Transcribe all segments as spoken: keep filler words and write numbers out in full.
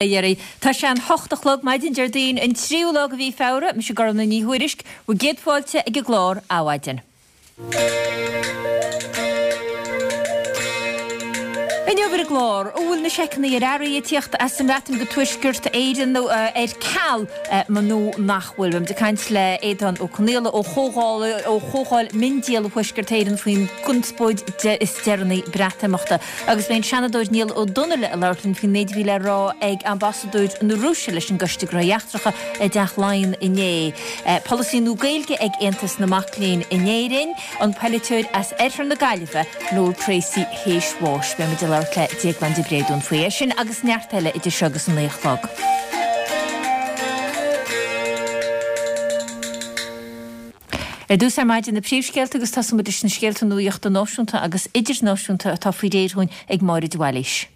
Dheiridh. Tá sé an hocht a chlog maidin Déardaoin an tríú lá de mhí Feabhra, mise Gormfhlaith Ní Thuairisg, bhur gcéad fáilte ag an gclár Adhmhaidin. Inniu ar an gclár, an bhfuil na seiceanna ar earraí ag tíocht as an mBreatain go Tuaisceart Éireann ar ceal nó nach bhfuil? Beimid ag caint le Aodhán Ó Conaola ó Chomhdháil ó Chomhdháil Miondíola Thuaisceart Éireann faoin gconspóid is deireanaí Breatimeachta. Agus beidh an Seanadóir Niall Ó Donnaile ag labhairt linn faoin méid a bhí le rá ag Ambasadóir na Rúise leis an gCoiste Gnóthaí Eachtracha i dTeach Laighean inné. Polasaí nua Gaeilge ag Aontas na Mac Léinn in Éirinn, an polaiteoir as Oirthear na Gaillimhe, Noel Treacy théis bháis. Beimid ag labhairt le Déaglán de Bréadún faoi. É sin agus neart eile idir seo agus an naoi a chlog. Ar dtús ar maidin na príomhscéalta agus tosóimid leis na scéalta nuachta náisiúnta agus idirnáisiúnta atá faoi réir dhúinn ag Máire de Bhailís.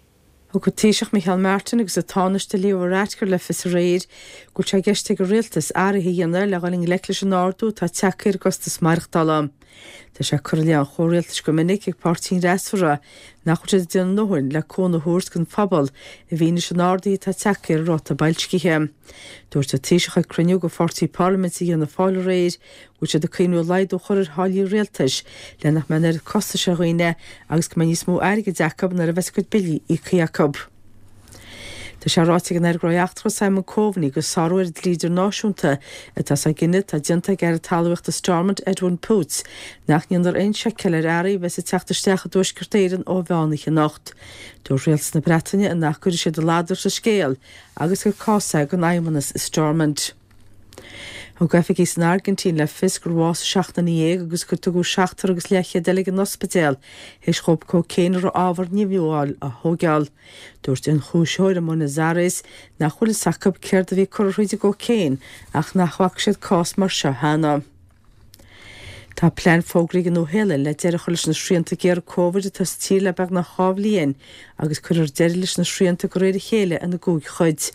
Thug an Taoiseach Micheál Martin agus an Tánaiste Leo Varadkar le fios aréir go bhfuil sé i gceist ag an rialtas athruithe a dhéanamh le dhul i ngleic leis an ardú atá tagtha ar an gcostas maireachtála. Tá sé curtha i leith an chomhrialtais go minic ag páirtí an fhreasúra nach bhfuil siad ag déanamh a ndóthain le cúnamh a thabhairt don phobal i bhfianaise an ardaithe atá tagtha ar an ráta boilscithe. Dúirt an Taoiseach ag cruinniú de pháirtí parlaiminte Fhianna Fáil aréir go bhfuil siad ag cuimhniú laghdú a chur ar tháillí rialtais le nach mbeidh an oiread costais ar dhaoine agus go mbeidh níos mó airgid acu nuair a bheas a gcuid billí íoctha acu. Tá sé ráite ag an Aire Gnóthaí Eachtracha Simon Coveney gur sárú ar an dlí idirnáisiúnta atá sa gcinneadh atá déanta ag Aire Talmhaíochta Stormont Edwin Poots nach ndéanfar aon seiceáil ar earraí a bheas ag teacht isteach i dTuaisceart Éireann ó mheán oíche anocht. Dúirt rialtas na Breataine nach gcuirfidh siad a ladar sa scéal agus gur cás é don Fheidhmeannas i Stormont. Thug oifigigh san Airgintín le fios gur bhásaigh seacht nduine dhéag agus gur tugadh seachtar agus leathchéad eile ag an ospidéal théis dhóibh cócaon a raibh ábhar nimhiúil ann a thógáil. Dúirt ionchúisitheoir i mBuenos Aires nach bhfuil fhios acu céard a bhí curtha thríd an gcócaon ach nach bhfaca siad cás mar seo cheana. Tá plean fógraithe ag an Nua-Shéalainn le deireadh a chur leis na srianta géara Covid atá sa tír le beagnach dhá bhliain agus cuirfear deireadh leis na srianta de réir a chéile ina gcúig chuid.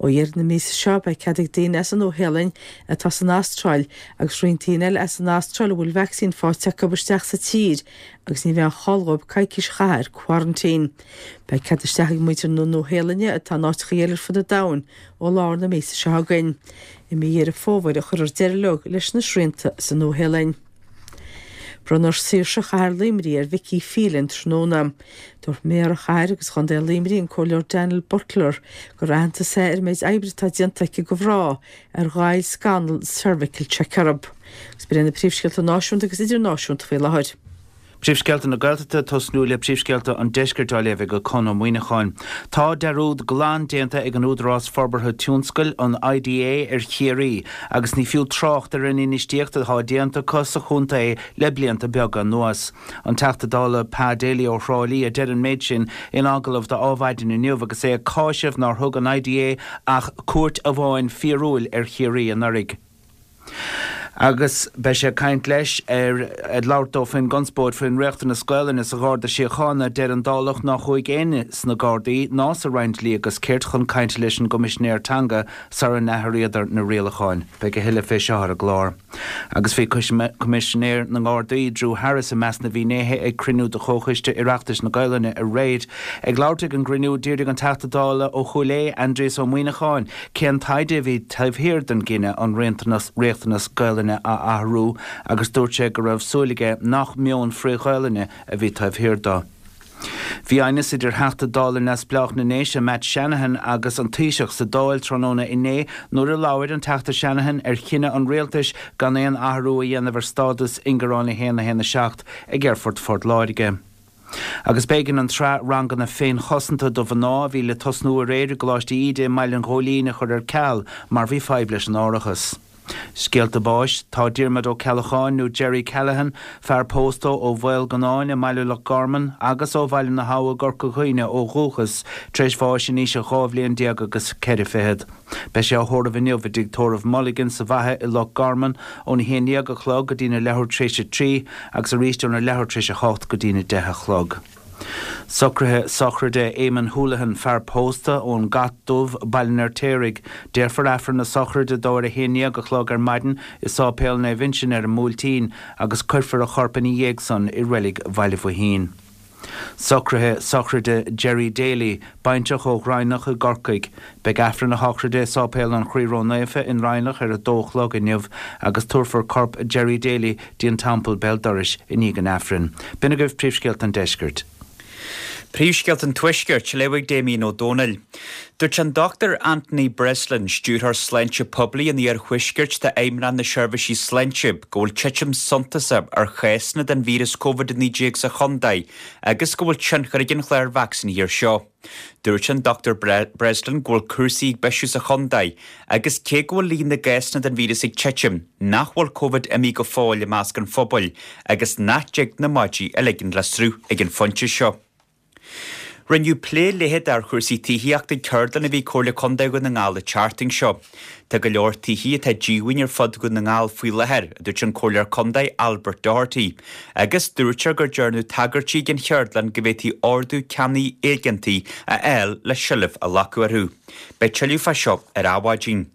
Ó dheireadh na míosa seo beidh cead ag daoine as an Nua-Shéalainn atá san Astráil agus roinnt daoine eile as an Astráil a bhfuil vacsaín faighte acu isteach sa tír agus ní bheidh aon chall dhóibh coicís a chaitheamh ar quarantine. Beidh cead isteach ag muintir na Nua-Shéalainne atá in áiteacha eile ar fud an domhain ó lár na míosa seo chugainn. I mí Dheireadh Fómhair a chuirfear deireadh leo leis na srianta sa Nua-Shéalainn. Bronnfar Saoirse Chathair Luimnigh ar Vicky Phelan tráthnóna. Dúirt Méara Chathair agus Chontae Luimnigh an Comhairleoir Daniel Butler gur aitheantas é ar an méid oibre atá déanta aici do mhná ar ghoill scannal Cervical Check orthu. Agus b'in iad na príomhscéalta náisiúnta agus idirnáisiúnta faoi láthair. Príomhscéalta na Gaeltachta, tosnú le príomhscéalta an Deiscirt á léamh ag Con Ó Muíneacháin. Tá dearúd glan déanta ag an Údarás Forbartha Tionscail, an IDA, ar Chiarraí agus ní fiú trácht ar an infheistíocht atá déanta acu sa chontae le blianta beaga anuas. An Teachta Dála Pa Daly ó Thrá Lí a deir an méid sin in agallamh do Adhmhaidin inniu agus é ag cáiseamh nár thug an IDA ach cuairt amháin fíorúil ar Chiarraí anuraidh. Agus beidh sé ag caint leis ar ag labhairt dó faoin gconspóid faoin riachtanas Gaelainne sa Gharda Síochána. Deir an Dálach nár chuaigh éinne sna Gardaí ná sa Roinn Dlí agus Cirt chun cainte leis an gCoimisinéir Teanga sara n-athraíodar na rialacháin. Beidh a thuilleadh fé seo ar an gclár. Agus bhí Coimisinéir na nGardaí, Drew Harris, i measc na bhfinnéithe ag cruinniú de Chomhchoiste Oireachtais na Gaelainne aréir. Ag labhairt ag an gcruinniú, d'fhiafraigh an Teachta Dála ó Chúil Aodha, Aindrias Ó Muíneacháin, cén taighde a bhí taobh thiar den gcinneadh an riachtanas Gaelainne a athrú agus dúirt sé go raibh súil aige nach meon frith-Ghaelainne a bhí taobh thiar dó. Bhí aighneas idir Theachta Dála neamhspleách na nDéise Matt Shanahan agus an Taoiseach sa Dáil tráthnóna inné nuair a labhair an Teachta Shanahan ar chinneadh an rialtais gan aon athrú a dhéanamh ar stádas ingearán a haon a haon a seacht ag Aerfort Phort Láirge. Agus b'éigean an tsraith ranganna féinchosanta do mhná a bhí le tosnú aréir i gColáiste Íde i mBaile an Ghóilín a chur ar ceal mar bhí fadhb leis an árachas. Scéalta báis, Tá Diarmuid Ó Ceallacháin nó Jerry Callaghan, fear pósta ó Mhaolgannáin i mBaile Loch Garman agus ó Bhaile na hAbha i gCorca Dhuibhne ó dhúchas, tar éis bháis in aois a dhá bhliain déag agus ceithre fichead. Beidh sé á thórramh inniu i dTigh Tórraimh Mulligan sa bhFaiche i Loch Garman óna haon déag a chlog go dtína leathuair tar éis a trí agus arís óna leathuair tar éis a hocht go dtína deich a chlog. Socruithe sochraide Éamonn Houlihan, fear pósta ón gCat Dubh, Baile an Fheirtéaraigh. Déarfar Aifreann na sochraide dó ar a haon dhéag a chlog ar maidin i Sáipéal Naomh Uinseann ar an mBuailtín agus cuirfear a chorp ina dhiaidh san i reilig Bhaile Bhoithín. Socruithe sochraide Jerry Daly, baintreach ó Ghraineach i gCorcaigh. Beidh Aifreann a shochraide i Sáipéal an Chroí Ró-Naofa i nDroighneach ar a dó a chlog inniu agus tabharfar corp Jerry Daly dtí an Teampall béal dorais i ndiaidh an Aifrinn. B'in agaibh príomhscéalta an deiscirt. Príomhscéalta an Tuaiscirt, á léamh ag Damien Ó Dónaill. Dúirt an Dochtúir Anthony Breslin, Stiúrthóir Sláinte Poiblí an Iarthuaiscirt d'Fheidhmeannacht na Seirbhísí Sláinte, go bhfuil titim suntasach ar chásanna den víreas Covid a naoi déag sa chontae agus go bhfuil tionchar ag an chlár vacsaínithe air seo. Dúirt an Dochtúir Breslin go bhfuil cúrsaí ag bisiú sa chontae agus cé go bhfuil líon na gcásanna den víreas ag titim, nach bhfuil Covid imithe go fóill i measc an phobail agus nach dtig na maidí a ligean le sruth ag an phointe seo. Rinneadh plé leitheadach ar chúrsaí tithíochta ag ceardlann a bhí ag Comhairle Contae Dhún na nGall an tseachtain seo. Tá go leor tithí atá díomhaoin ar fud Dhún na nGall faoi láthair, a dúirt an Comhairleoir Contae Albert Doherty, agus dúirt sé gur dearnadh tagairtí ag an cheardlann go bhféadfaí ordú ceannaigh éigeantaigh a fháil le seilbh a ghlacadh orthu. Beidh tuilleadh fá seo ar Adhmhaidin.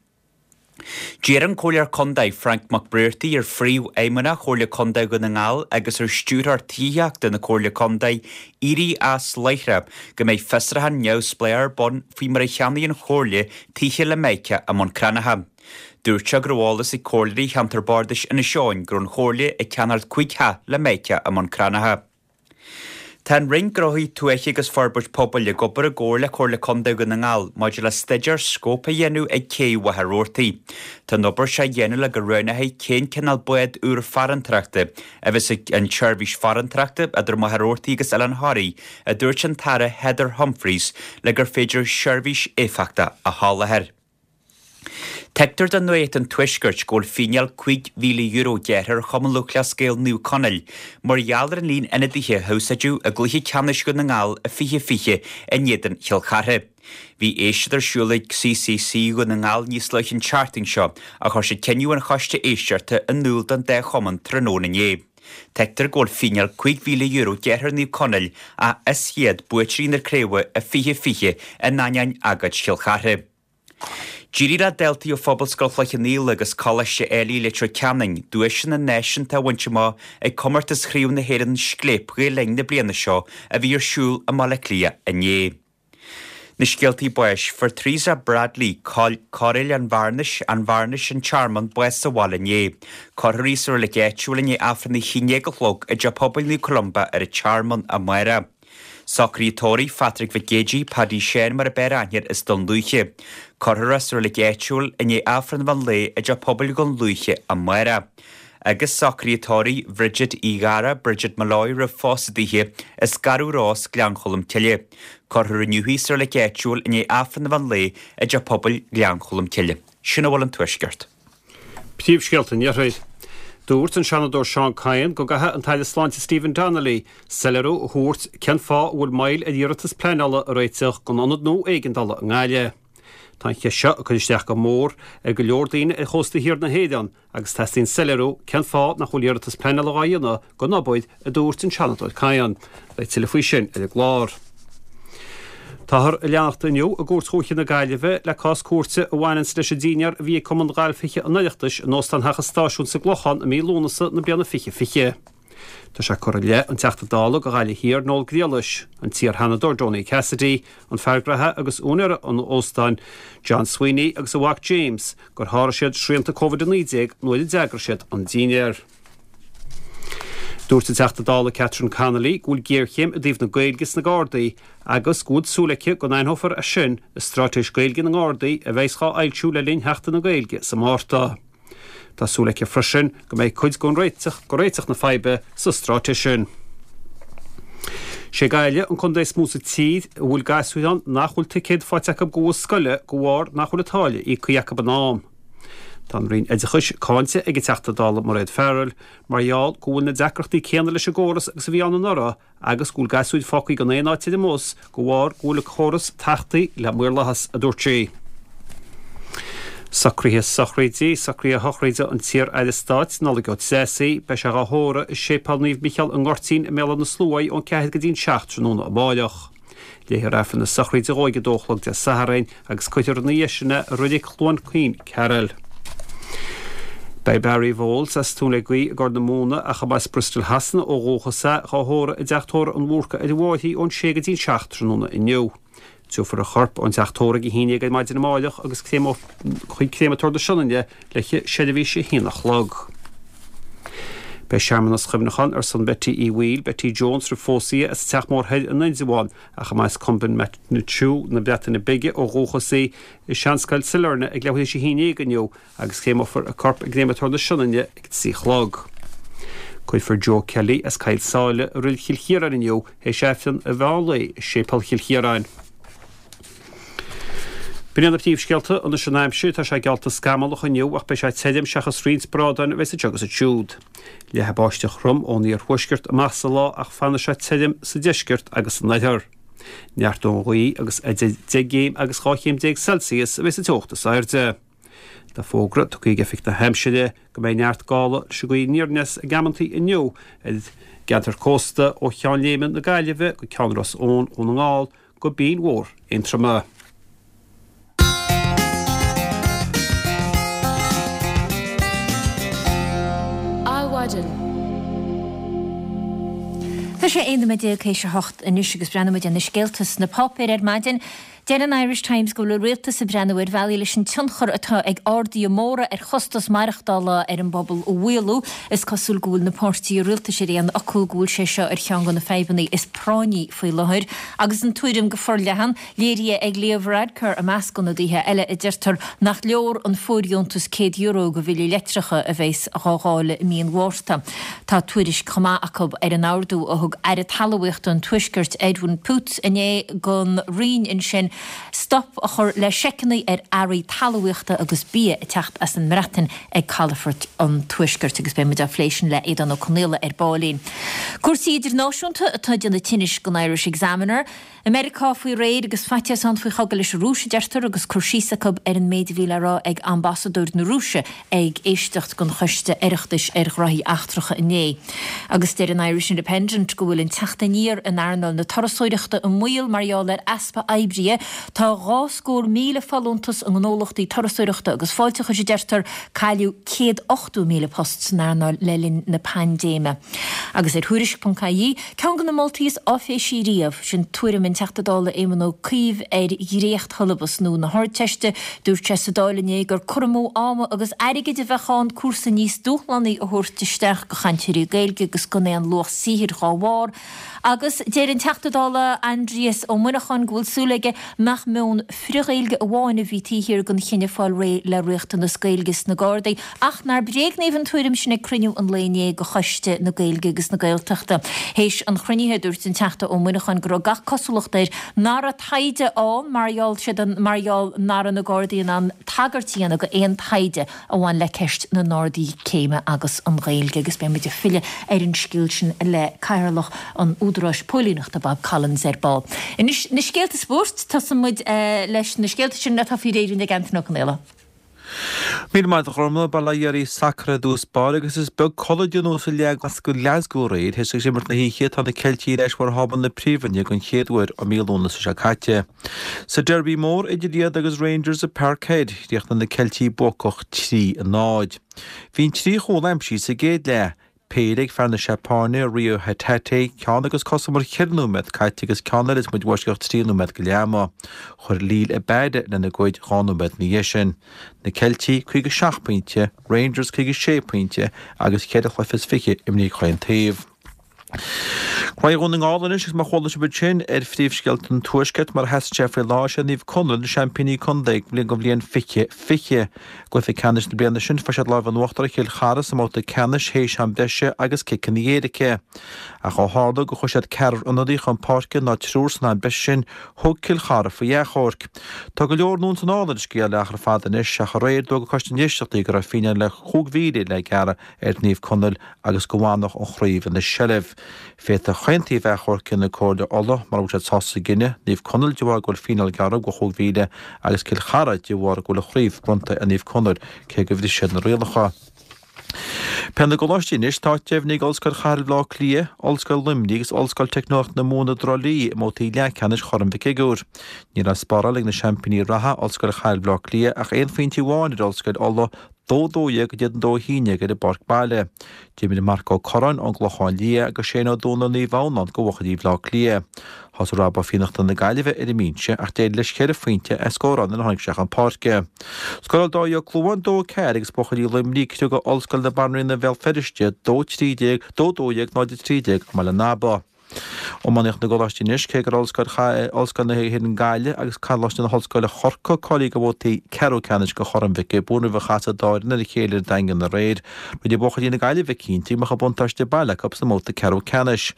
D'iarr an Comhairleoir Contae Frank Mac Bréartaigh ar Phríomhfheidhmeannach Chomhairle Contae Dhún na nGall agus ar Stiúrthóir Tithíochta na Comhairle Contae éirí as láithreach go mbeidh fiosrúchán neamhspleách ar bun faoi mar a cheannaigh an Chomhairle tithe le Mica i mBun Cranncha. Dúirt sé go raibh eolas ag comhairleoirí cheantar bardais Inis Eoghain go raibh an Chomhairle ag ceannacht cúig theach le Mica i mBun Cranncha. Tá an Roinn Gnóthaí Tuaithe agus Forbairt Pobail ag obair i gcomhar le Comhairle Contae Dhún na nGall maidir le staidéar scóip a dhéanamh ag Cé Mhachaire Rabhartaigh. Tá an obair seo á dhéanamh le go roghnófaí cén cineál bád úr farantóireachta a bheas ag an tseirbhís farantóireachta idir Machaire Rabhartaigh agus Oileán Thoraí, a dúirt an tAire Heather Humphreys, le gur féidir seirbhís éifeachtach a sholáthar. Tuigtear do Nuacht an Tuaiscirt go bhfuil fíneáil cúig mhíle euro gearrtha ar Chumann Lúthchleas Gael Naomh Conaill mar gheall ar an líon ionadaithe a húsáideadh i gcluiche ceannais Dhún na nGall i fiche fiche in éadan Chill Chartha. Bhí éisteacht ar siúl ag C C C Dhún na nGall níos luaithe an tseachtain seo ach chuir siad cinneadh an choiste éisteachta in iúl don dá chumann tráthnóna inné. Tuigtear go bhfuil fíneáil cúig mhíle euro gearrtha ar Naomh Conaill ach is iad buaiteoirí na craoibhe i fiche fiche in ainneoin agóid Chill Chartha. D'éirigh le daltaí ó Phobalscoil Chloich Cheann Fhaola agus Coláiste Ailigh Leitir Ceanainn duaiseanna náisiúnta a bhaint amach ag comórtas Chraobh na hÉireann Scléip Ghael Linn na bliana seo a bhí ar siúl i mBaile Átha Cliath inné. Na scéaltaí báis, Fuair Teresa Bradley, Cairéal an Bhearnais, An Bhearnais, An Tearmann, bás sa bhaile inné. Cuirfear í sa reilig áitiúil i ndiaidh Aifreann a haon déag a chlog i dTeach Pobail Naomh Columba ar an Tearmann amárach. Socruithe tórraimh Phatrick Mhic Géidigh, Paddy Sheáin mar ab fhearr aithne air as Dún Lúiche. Cuirfear é sa reilig áitiúil i ndiaidh Aifreann an mheán lae i dTeach Pobail Dhún Lúiche amárach. Agus socruithe tórraimh Bhridget Uí Ghadhra, Bridget Molloy roimh phósadh dithe, as Garbh Ros, Gleann Cholm Cille. Cuirfear inniu í sa reilig áitiúil i ndiaidh Aifreann an mheán lae i dTeach Pobail Ghleann Cholm Cille. Sin a bhfuil ón Tuaisceart. Príomhscéalta an Iarthair. Dúirt an Seanadóir Seán Kyne go gcaithfidh an tAire Sláinte Stephen Donnelly soiléiriú a thabhairt cén fáth a bhfuil moill ar iarratas pleanála a réiteach don ionad nua éigeandála i nGaillimh. Tá an cheist seo ag cur isteach go mór ar go leor daoine ar chósta thiar na hÉireann agus teastaíonn soiléiriú cén fáth nach bhfuil iarratas pleanála á dhéanamh don obair, a dúirt an Seanadóir Kyne. Beidh tuilleadh faoi sin ar an gclár. Táthar ag leanacht inniu i gCúirt Dhúiche na Gaillimhe le cás cúirte a bhaineanns leis an dinnéar a bhí ag Cumann Gailf Thithe an Oireachtais in Óstán Theach an Stáisiúin sa gClochán i mí Lúnasa na bliana fiche fiche. Tá sé curtha i leith an Teachta Dála do Ghaillimh Thiar Noel Grealish, an t-iar-Sheanadóir Donie Cassidy, an fear graithe agus úinéir an óstáin John Sweeney agus a mhac James gur sháraigh siad srianta Covid a naoi déag nuair a d'eagraigh siad an dinnéar. Dúirt an Teachta Dála Catherine Connolly go bhfuil géarchéim i dtaobh na Gaeilge sna Gardaí agus go bhfuil súil aici go n-aithneofar é sin i Straitéis Gaeilge na nGardaí a bheas á fhoilsiú le linn Sheachtain na Gaeilge sa Mhárta. Tá súil aici freisin go mbeidh cuid den réiteach go réiteach na faidhbe sa straitéis sin. Sé Gaillimh an contae is mó sa tír a bhfuil gasúir ann nach bhfuil ticéad faighte acu go bhus scoile de bharr nach bhfuil an táille íoctha acu in am. Tá an Roinn Oideachais cáinte ag an Teachta Dála Mairéad Farrell mar gheall go bhfuil na deacrachtaí céanna leis an gcóras agus a bhí ann anuraidh agus go bhfuil gasúir fágtha gan aon áit ar an mbus de bharr go bhfuil an córas tachtaí le maorlathas, a dúirt sí. Socruithe sochraide, socruithe sochraide an t-iar-aire stáit Nollaig Ó Treasaigh, beidh sé á thórramh i Séipéal Naomh Micheál i nGoirtín i mBéal Átha na Sluaighe ón ceathair go dtí an seacht tráthnóna amáireach. Léifear Aifreann na sochraide dhó ag a dó a chlog Dé Sathairn agus cuirfear ina dhiaidh sin é i Reilig Chluain Caoin, Ceatharlach. Beidh Barry Vowles as Tóin le Gaoith i gCorr na Móna ach ab as Bristol Shasana ó dhúchas é, dhá thórramh i dteach tórraimh an Bhúrcaigh ar an bhFairche ón sé go dtí an seacht tráthnóna inniu. Tabharfar a chorp ón teach tórraimh ag a haon déag ar maidin amáireach agus chuig Créamatóir na Sionainne le seirbhís a haon a chlog. Beidh searmanas cuimhneacháin ar son Betty Uí Bhaoill, Betty Jones roimh phósadh í as an Teach Mór Thoir i nIndreabhán ach ab as Cwmbyn na Breataine Bige ó dhúchas í i Seanscoil Sailearna ag leathuair théis a haon déag inniu agus créamófar a corp i gCréamatóir na Sionainne ag trí a chlog. Cuirfear Joe Kelly as Cill Sáile i Reilig Chill Chiaráin inniu théis Aifreann an mheán lae i Séipéal Chill Chiaráin. B'in iad na príomhscéalta anois an aimsir, tá sé geallta scamallach inniu ach beidh sé tirim seachas roinnt brádáin a bheas anseo agus ansiúd. Leathfaidh báisteach throm ón iarthuaisceart amach sa lá ach fanfaidh sé tirim sa deisceart agus san oirthear. Neartóidh an ghaoth agus idir deich gcéim agus dhá chéim déag Celsius a bheas an teocht is airde. Tá fógra tugtha ag Oifig na hAimsire go mbeidh neart gála leis an ghaoth aniar aneas ag amantaí inniu ar gceantar cósta ó Cheann Léime na Gaillimhe go Ceann Ros Eoin Dhún na nGall go Binn Mhór Aontroma. Adhmhaidin. Tá sé aon nóiméad déag théis a hocht anois agus breathnóidh muid ar na scéalta sna páipéir ar maidin. Deir an Irish Times go bhfuil an rialtas ag breathnú ar bhealaí leis an tionchar atá ag arduithe móra ar chostas maireachtála ar an bpobal a mhaolú. Is cosúil go bhfuil na páirtithe rialtais ar aon fhocal go bhfuil sé seo ar cheann de na fadhbanna is práinní faoi láthair. Agus an tuairim go forleathan, léirithe ag Leo Varadkar i measc ionadaithe eile a deirtear nach leor an fóirdheontas céad euro do bhillí leictreacha a bheas á dháileadh i mí an Mhárta. Tá tuairisc chomh maith acu ar an ordú a thug Aire Talmhaíochta an Tuaiscirt Edwin Poots inné don Roinn ansin stop a chur le seiceanna ar earraí talmhaíochta agus bia ag teacht as an mBreatain ag calafort an Tuaiscirt agus beidh muid á phlé sin le Aodhán Ó Conaola ar baillín. Cúrsaí idirnáisiúnta atá ag déanamh tinnis don Irish Examiner. I Meiriceá faoi réir agus faitíos ann faoi chogadh leis an Rúis a deirtear agus cur síos acu ar an méid a bhí le rá ag ambasadóir na Rúise ag éisteacht don Choiste Oireachtais ar Ghraithí Eachtracha inné. Agus deir an Irish Independent go bhfuil an teacht aniar in earnáil na turasóireachta i mbaol mar gheall ar easpa oibrithe. Tá dhá scór míle folúntas i ngnólachtaí turasóireachta agus fáilteachais a deirtear, cailleadh céad ochtó míle post san earnáil le linn na paindéime. Agus ar Thuairisc ponc ie, ceann de na moltaí is áiféisí riamh, sin tuairim an Teachta Dála Éamon Ó Cuív ar dhréacht-shiollabas nua na hArdteiste. Dúirt sé sa Dáil inné gur cur amú ama agus airgid a bheadh ann cúrsa níos dúshlánaí a thabhairt isteach do chainteoirí Gaeilge agus gan aon luach saothair dhá bharr. Agus deir an Teachta Dála Aindrias Ó Muineacháin go bhfuil súil aige nach meon frith-Ghaeilge amháin a bhí taobh thiar den chinneadh fáil réidh le riachtanas Gaeilge sna Gardaí ach nár bréagnaíodh an tuairim sin ag cruinniú an lae inné de Choiste na Gaeilge agus na Gaeltachta. Théis an chruinnithe, dúirt an Teachta Ó Muineacháin go raibh gach cosúlacht air nach raibh taighde ann mar gheall siad an mar gheall nach raibh na Gardaí in ann tagairt a dhéanamh go aon taighde a bhain le ceist na n-ardaí céime agus an Ghaeilge agus beidh muid ag filleadh ar an scéal sin le Cathaoirleach an Údaráis Póilíneachta Bob Collins ar ball. Anois na scéalta spóirt, tosaíonn muid leis na scéalta sin atá faoi réir ag Antaine Ó Conaola. Míle maith agat a Ghormfhlaith, bail ó Dhia oraibh sacar i dtús báire agus is beag codladh a deineadh sa Ghlasgow aréir théis imirt na hoíche tá na Ceiltigh ar ais barr thábla na Príomhroinne den chéad uair ó mí Lúnasa seo caite. Sa Derby mór idir iad agus Rangers i Parkhead, chríochnaigh na Ceiltigh buacach trí a náid. Bhí an trí chúl aimsithe sa gcéad leath, péire ag fear na Seapáine, Reo Hatate, ceann agus cothrom ar cheithre nóiméad caite agus ceann eile is muid i bhfoisceacht trí nóiméad go leath ama. Chuir Liel Abada lena gcuid dhá nóiméad ina dhiaidh sin. Na Ceiltigh, caoga seacht pointe, Rangers caoga sé pointe agus ceithre chluiche is fiche imrithe chaon taobh. Graithe Dhún na nGall anois agus mar chuala sibh ansin ar phríomhscéalta an Tuaiscirt mar a sheasann sé faoi láthair sé Naomh Conaill na seaimpíní contae don bhliain fiche fiche. I gcluiche ceannais na bliana sin fuair siad lámh in uachtar ar Chill Chartha sa mbabhta ceannais théis am breise agus ciceanna éirice. Ach ó tharla gur chuir siad ceathrar ionadaí chun páirce ná triúr san am breise sin thug Cill Chartha faoi achomharc. Tá go leor anonn 's anall ar an scéal le achar fada anois ach aréir d'fhógair Coiste na nÉisteachtaí go raibh fíneáil le chúig mhíle le gearradh ar Naomh Conaill agus go bhfanfadh an chraobh ina seilbh. Féadfaidh chaon taobh achomharc a dhéanamh ag Comhairle Uladh mura bhfuil siad sásta sa gcinneadh, Naomh Conaill de bharr go bhfuil fíneáil gearrtha de chúig mhíle agus Cill Chartha de bharr go bhfuil an chraobh bronnta ar Naomh Conaill cé gur bhris siad na rialacha. Peil na gColáistí anois, tá áit deimhnithe ag Ollscoil Chathair Bhaile Átha Cliath, Ollscoil Luimnigh agus Ollscoil Teicneolaíochta na Mumhan i dTrá Lí i mbabhtaí leathcheannais Chorn Mhic Shigiúir. Ní raibh spáráilte ag na seaimpíní reatha, Ollscoil Chathair Bhaile Átha Cliath, ach aon phointe amháin ar Ollscoil Uladh, dó dó dhéag go dtí dó haon déag ar an bpáirc baile. D'imir Marc Ó Curráin ón gClochán Liath agus Shane Ó Dónaill Naomh Adhamhnáin go bhuachaillí Bhaile Átha Cliath. Thosaigh Rob Ó Fiannachta na Gaillimhe ar an mbinse ach d'éirigh leis ceithre phointe a scóráil nuair a tháinig sé chun páirce. Scóráil Dáithí Ó Clúmháin dó ceathair agus buachaillí Luimnigh ag criogadh Ollscoil na Banríona Bhéal Feirste dó trí déag, dó dó dhéag, náid a trí déag i mBaile an Aba. Iománaíocht na gColáistí anois, cé gur Ollscoil Ollscoil na hÉireann Gaillimh agus Coláiste na hOllscoile Chorcaigh cáilithe do bhabhtaí ceathrú ceannais de Chorn Mhic Giobúin roimh a chasfaidh an dá fhoireann ar a chéile ar an Daingean aréir. Rinne buachaillí na Gaillimhe cinnte go mbeadh an buntáiste baile acu sna mbabhta ceathrú ceannais.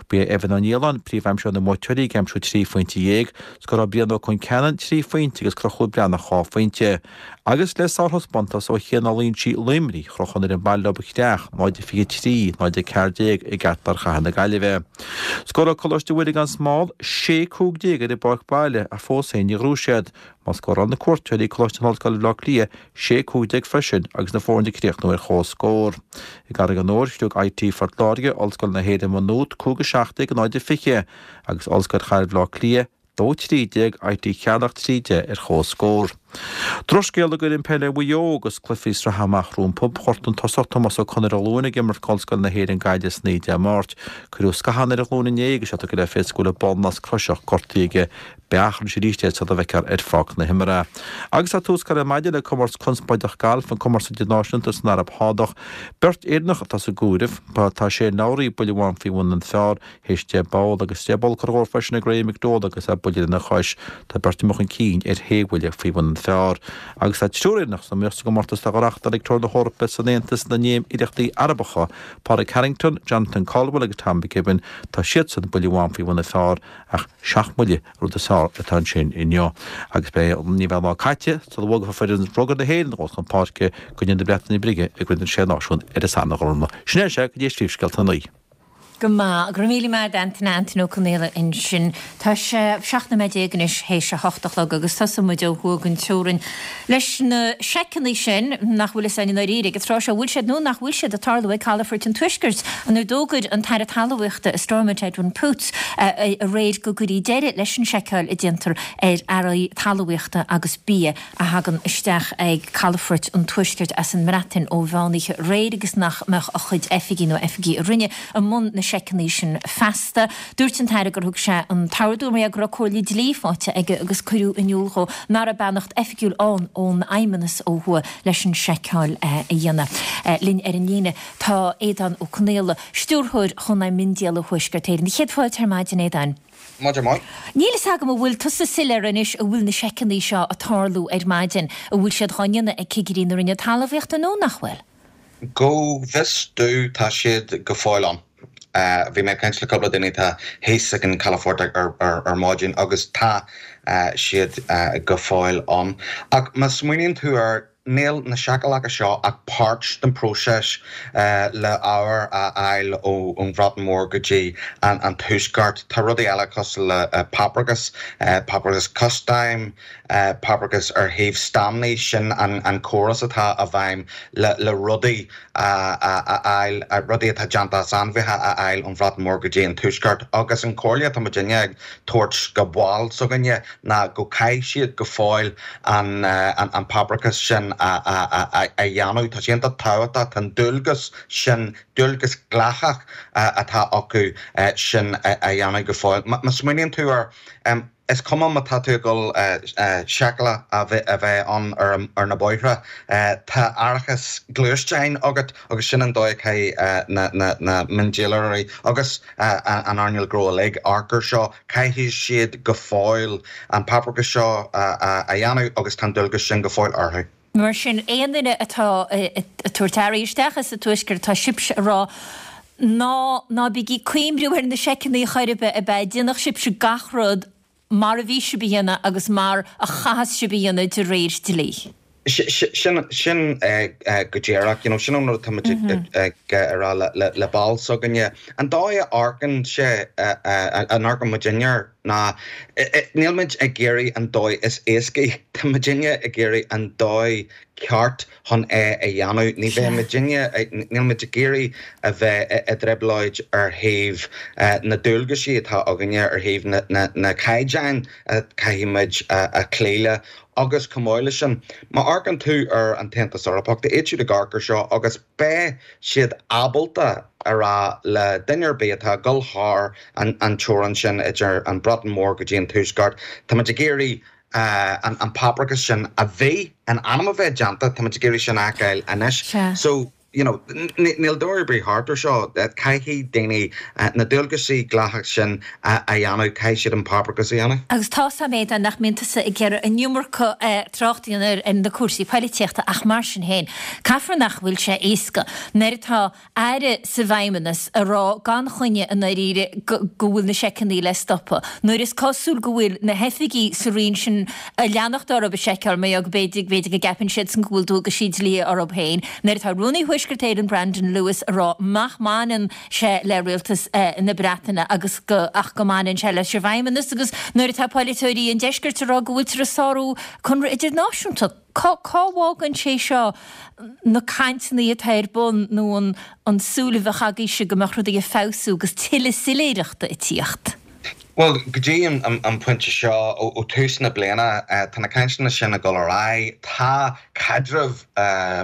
Ba é Evan Ó Nialláin príomhaimseoir na mbuaiteoirí ag aimsiú trí phointe dhéag. Scóráil Brian Ó Concheanainn trí phointe agus Conchúr Breathnach dhá phointe. Agus le sárthaispeántas ó Chian Ó Loingsigh Luimnigh, chroch an fhoireann baile leo a chreach, náid a fiche trí, náid a ceathair déag i gceartlár chathair na Gaillimhe. Scóráil Coláiste Mhuire gan Smál sé cúig déag ar an bpáirc baile ach fós féin níor ghnóthaigh siad. Má scóráil na cuairteoirí, Coláiste na hOllscoile Bhaile Átha Cliath, sé cúig déag freisin agus na foirne ag críochnú ar comhscór. I gCarraig an Iúir, chriog I T Phort Láirge, Ollscoil na hÉireann Maigh Nuad, cúig a seacht déag, náid a fiche, agus Ollscoil Chathair Bhaile Átha Cliath, dó trí déag, I T Cheatharlach trí deich ar comhscór. Drochscéal do fhoireann peile Mhaigh Eo agus cluichí sraithe amach rompu. Ghortaigh an tosach Tomás Ó Conaire a ghlúin ag imirt d'Ollscoil na hÉireann Gaillimh san oíche Dé Máirt. Cuireadh scathán ar a ghlúin inné agus é tugtha le fios go bhfuil an ballnasc croiseach gortaithe aige. Beidh achrann arís é sula bhfeicfear ar pháirc na himeartha. Agus tá tús curtha ar maidin le comórtas conspóideach gailf, an comórtas idirnáisiúnta san Araib Shádach. Beirt Éireannach atá sa gcomhaireamh. Tá Shane Lowry buille amháin faoi bhun an phar théis deich bpoll agus deich bpoll curtha dhó freisin ag Ray McDowell agus é buille lena chois. Tá beirt amuigh chun cinn ar shé bhuille faoi bhun an phar. Agus tá triúr Éireannach san iomaíocht sa gcomórtas atá á reáchtáil ag Tour na hEorpa san Aontas na nÉimíríochtaí Arabacha, Pádraig Harrington, Jonathan Caldwell agus Tom McKibbin. Tá siadsan buille amháin faoi bhun an phar ach seacht mbuille an rud is fearr atá ansin inniu. Agus beidh ní bheidh lá caite sula bhfógrófar foireann rugbaí na hÉireann dul chun páirce i gcoinne na Breataine Bige i gCraobh na Sé Náisiún ar an Satharn a Ghormfhlaith. Sin é sé go dtí príomhscéalta a naoi. Go maith. Go raibh míle maith agat Antaine, Antaine Ó Conaola ansin. Tá sé seacht nóiméad déag anois théis a hocht a chlog agus tosóidh muid ó thuaidh den teorainn leis na seiceanna sin nach bhfuil fhios againn i ndáiríre ag an tráth seo an bhfuil siad nó nach bhfuil siad ag tarlú ag calafoirt an Tuaiscirt nuair a d'fhógair an tAire Talmhaíochta i Stormont Edwin Poots aréir go gcuirfí deireadh leis an seiceáil a déantar ar earraí talmhaíochta agus bia a thagann isteach ag calafoirt an Tuaiscirt as an mBreatain ó mheánoíche aréir agus nach mbeadh a chuid oifigí nó oifigí a Roinne i mbun na seiceanna sin feasta. Dúirt an tAire gur thug sé an t-ordú mar go raibh comhairle dlí faighte aige agus cuireadh in iúl dhó nach raibh beannacht oifigiúil ann ón Fheidhmeannas ó thuaidh leis an seiceáil a dhéanamh. Linn ar an líne tá Aodán Ó Conaola, Stiúrthóir Chónaidhm Miondíola Thuaisceart Éireann. Céad fáilte ar maidin, Aodáin. Maidin mhaith. Níl fhios agam an bhfuil tusa soiléir anois an bhfuil na seiceanna seo ag tarlú ar maidin, an bhfuil siad dhá ndéanamh ag cigirí na Roinne Talmhaíochta nó nach bhfuil? Go bhfios domh tá siad go fóill ann. Bhí mé ag caint le cúpla duine atá thíos ag an calafort ar maidin agus tá siad go fóill ann. Ach má smaoiníonn tú air, níl na seiceálacha seo ach páirt den próiseas le ábhar a fháil ón Bhreatain Mhór go dtí an Tuaisceart. Tá rudaí eile cosúil le paprachas, paprachas custaim, paprachas ar thaobh stámnaí, sin an córas atá i bhfeidhm le rudaí a fháil, rudaí atá déanta as ainmhithe a fháil ón Bhreatain Mhór go dtí an Tuaisceart. Agus an chomhairle atá muidinne ag tabhairt go baill s'againne ná go caithfidh siad go fóill an paprachas sin a dhéanamh. Tá sé iontach tábhachtach, tá an dualgas sin, dualgas dleathach atá acu sin a dhéanamh go fóill. Má smaoiníonn tú air, is cuma má tá tú ag dul seiceáil a bheith ann ar na bóithre, tá árachas gluaisteáin agat agus sin an dóigh a caithfidh na miondíolóirí agus an earnáil gnó uilig amharc air seo. Caithfidh siad go fóill an paprachas seo a dhéanamh agus tá an dualgas sin go fóill orthu. Mar sin, aon duine atá ag tabhairt earraí isteach as an Tuaisceart, tá sibhse ag rá, ná ná bígí ag cuimhniú ar na seiceanna chor ar bith, ab ea? Déanadh sibhse gach rud mar a bhí sibh a dhéanamh agus mar a chaitheas sibh a dhéanamh de réir dlí. Sin sin go díreach, you know, sin an rud atá muid ag rá le baill s'againne. An dóigh a amharcann sé, a amharcann muidinne air ná níl muid ag iarraidh an dóigh is éascaí, tá muidinne ag iarraidh an dóigh ceart chun é a dhéanamh. Ní bheidh muidinne, níl muid ag iarraidh a bheith i dtrioblóid ar thaobh na dualgaisí atá againne, ar thaobh na na caighdeáin a caithfidh muid a chloí le. Agus chomh maith leis sin, má amharcann tú ar an tAontas Eorpach, tá siad ag amharc air seo agus beidh siad ábalta a rá le duine ar bith atá ag dul thar an teorainn sin idir an Bhreatain Mhór go dtí an Tuaisceart, tá muid ag iarraidh an páipéarachas sin a bhí in ainm a bheith déanta, tá muid ag iarraidh sin a fheiceáil anois. So, you know, níl dóigh ar bith thart ar seo. Caithfidh daoine na dualgaisí dleathacha sin a dhéanamh, caithfidh siad an páipéarachas a dhéanamh. Agus tá 's a'm Aodán nach mbíonn tusa ag iarraidh an iomarca trácht a dhéanamh ar na cúrsaí poilitíochta ach mar sin féin, caithfear nach bhfuil sé éasca nuair atá Aire sa bhFeidhmeannas a rá gan choinne i ndáiríre go bhfuil na seiceanna le stopadh, nuair is cosúil go bhfuil na hoifigigh sa roinn sin ag leanacht orthu ag seiceáil mar go b'fhéidir b'fhéidir go gceapann siadsan go bhfuil dualgaisí dlí orthu féin, nuair atá Rúnaí Thuaisceart Éireann Brandon Lewis a rá nach mbaineann sé le rialtas na Breataine agus go ach go mbaineann sé leis an bhFeidhmeannas agus nuair atá polaiteoirí an deiscirt a rá go bhfuiltear ag sárú conradh idirnáisiúnta. Cá bhfágann sé seo na cainteanna atá ar bun nó an an súil a bheadh agaibhse go mbeadh rudaí ag feabhsú agus tuilleadh soiléireachta ag tíocht? Bhuel, go dtí an pointe seo, ó tús na bliana, tá na cainteanna sin ag dul ar aghaidh. Tá caidreamh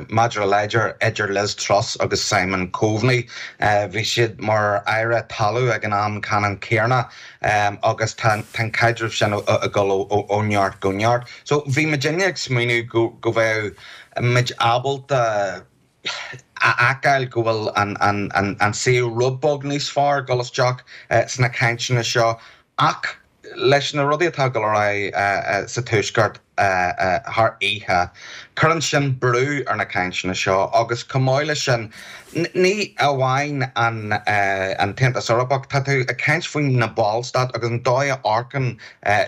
measartha láidir idir Liz Truss agus Simon Coveney. Bhí siad mar Aire Talaimh ag an am ceannann céanna agus tá an caidreamh sin ag dul ó neart go neart. So bhí muidinne ag smaoineamh go go bheadh muid ábalta a fheiceáil go bhfuil an an an an saol rud beag níos fearr dul isteach sna cainteanna seo ach leis na rudaí atá ag dul ar aghaidh sa Tuaisceart thar oíche, cuireann sin brú ar na cainteanna seo agus chomh maith leis sin, ní amháin an an tAontas Eorpach, tá tú ag caint faoi na ballstáit agus an dóigh a amharcann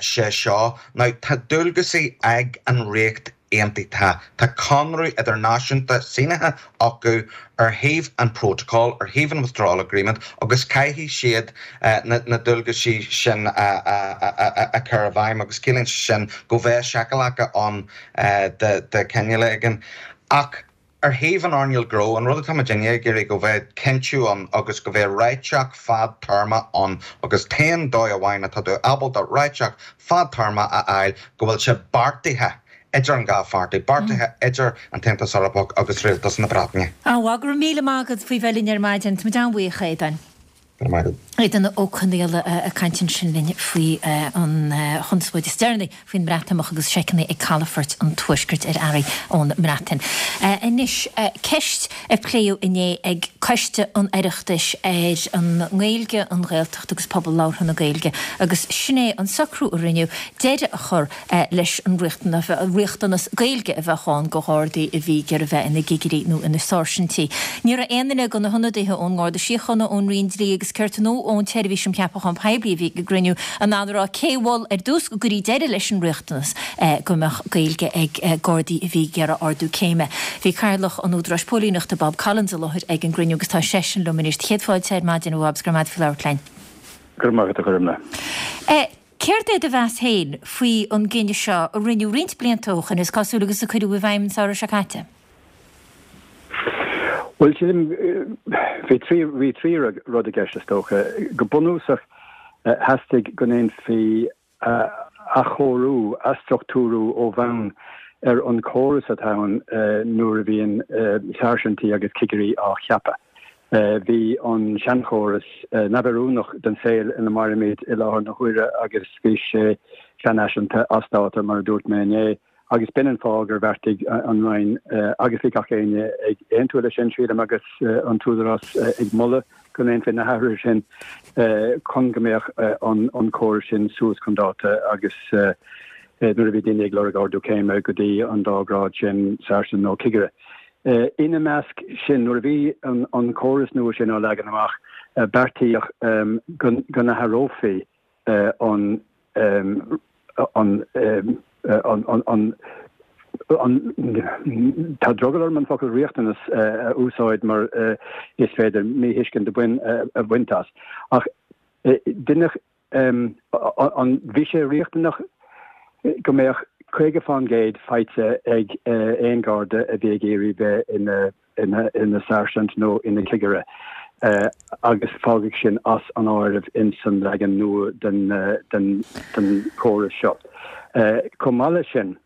sé seo. Now tá dualgaisí ag an Ríocht Aontaithe. Tá conradh idirnáisiúnta sínithe acu ar thaobh an protocol, ar thaobh an Withdrawal Agreement agus caithfidh siad na dualgaisí sin a chur i bhfeidhm agus ciallaíonn sé sin go bheidh seiceálacha ann de chineál éigin. Ach ar thaobh an earnáil gnó, an rud atá muidinne ag iarraidh go bheidh cinntiú ann agus go bheidh réiteach fadtéarma ann agus t-aon dóigh amháin atá tú ábalta réiteach fadtéarma a fháil go bhfuil sé beartaithe idir an dhá pháirtí, beartaithe idir an tAontas Eorpach agus Rialtas na Breataine. An-mhaith, go raibh míle maith agat faoi bheith linn ar maidin. Tá muid an-bhuíoch, a Aodáin. Go raibh maith agat. Aodán Ó Conaola ag caint ansin linn faoi an chonspóid is deireanaí faoin mBreatimeacht agus seiceanna ag calafoirt an Tuaiscirt ar earraí ón mBreatain. Anois, ceist a pléadh inné ag Coiste an Oireachtais ar an nGaeilge, an Ghaeltacht agus pobal labhartha na Gaeilge agus sin é an socrú a rinneadh deireadh a chur leis an riachtanas Gaeilge a bheadh ann do Ghardaí a bhí ag iarraidh bheith ina gcigirí nó ina sáirsintí. Ní raibh aon duine de na hionadaithe ón nGarda Síochána, ón Roinn Dlí agus Cirt nó ón tSeirbhís um Cheapacháin Poiblí a bhí ag an gcruinniú in ann a rá cé a mhol ar dtús go gcuirfí deireadh leis an riachtanas go mbeadh Gaeilge ag Gardaí a bhí ag iarraidh ardú céime. Bhí Cathaoirleach an Údaráis Póilíneachta, Bob Collins i láthair ag an gcruinniú agus tá seisean liom anois. Céad fáilte ar maidin, a Bhob, 's go raibh maith agat faoi labhairt linn. Go raibh maith agat, a Ghormfhlaith. Céard é do mheas féin faoi an gcinneadh seo a rinneadh roinnt blianta ó shoin, is cosúil, agus a cuireadh i bhfeidhm an samhradh seo caite? Bhuel, sílim, bhí trí, bhí trí rud i gceist, is dócha. Go bunúsach, theastaigh go ndéanfaí athchóiriú, athstruchtúrú ó bhonn ar an chóras atá ann nuair a bhíonn sáirsintí agus cigirí á cheapadh. Bhí an seanchóras neamhoiriúnach don saol ina mairimid i láthair na huaire agus bhí sé seanfhaiseanta, as dáta, mar a dúirt mé inné, agus b'in an fáth gur bheartaigh an Roinn, agus bhí gach éinne ag aontú leis sin, sílim, agus an tÚdarás ag moladh go ndéanfaí na hathruithe sin chun go mbeadh an córas sin suas chun dáta agus nuair a bhí daoine ag lorg ardú céime go dtí an dá ghrád sin, sáirsint nó cigire. Ina measc sin, nuair a bhí an córas nua sin á leagan amach, beartaíodh go n-athrófaí an an an an tá drogall orm an focal riachtanas a úsáid mar is féidir míthuiscint a bhaint as, ach deineadh an bhí sé riachtanach go mbeadh caoga fán gcéad faighte ag aon Gharda a bhí ag iarraidh bheith ina ina sáirsint nó ina chigire agus fágadh sin as an áireamh ins an leagan nua den den den chóras seo. Chomh maith leis sin,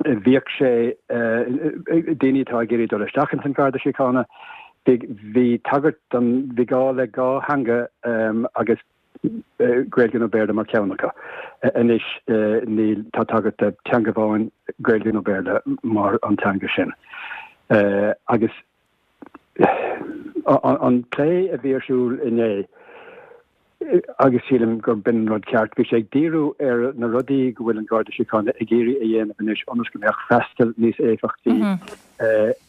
Bhíodh sé, daoine atá ag iarraidh dul isteach ins an Gharda Síochána, bhí tagairt don, bhí gá le dhá theanga agus Gaeilge nó Béarla mar cheann acu. Anois níl, tá tagairt do teanga amháin, Gaeilge nó Béarla, mar an teanga sin. Agus an plé a bhí ar siúl inné, agus sílim gur b'in an rud ceart, bhí sé ag díriú ar na rudaí go bhfuil an Garda Síochána ag iarraidh a dhéanamh anois ionas go mbeadh freastal níos éifeachtaí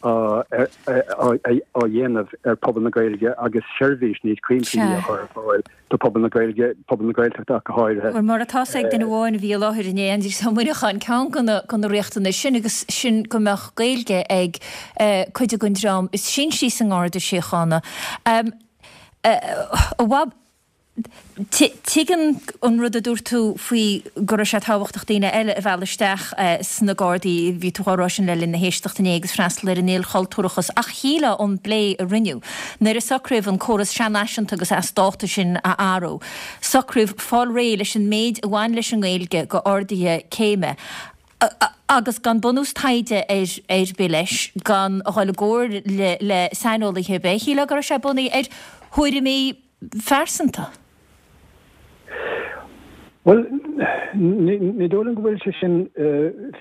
á dhéanamh ar phobal na Gaeilge agus seirbhís níos cuimsithí a chur ar fáil do phobal na Gaeilge, pobal na Gaeltachta ach go háirithe. Bhuel, mar atá 's ag duine amháin a bhí i láthair inné, Aindrias Ó Muineacháin, ceann de na riachtanais sin agus sin go mbeadh Gaeilge ag cuid den dream is sinsí sa nGarda Síochána. A Bhab, tuigim an rud a dúirt tú faoi go raibh sé tábhachtach daoine eile a mhealladh isteach sna Gardaí, bhí tú á rá sin le linn na héisteachta inné, agus freastal ar an ilchultúrachas, ach shílfeá ón bplé a rinneadh nuair a socraíodh an córas seanfhaiseanta agus as dáta sin a athrú, socraíodh fáil réidh leis an méid a bhain leis an nGaeilge go arduithe céime. agus gan bunús taighde ar ar bith leis, gan a dhul i gcomhairle le saineolaithe ar bith, shílfeá go raibh sé bunaithe ar thuairimí phearsanta. Bhuel, ní dóigh liom go bhfuil sé sin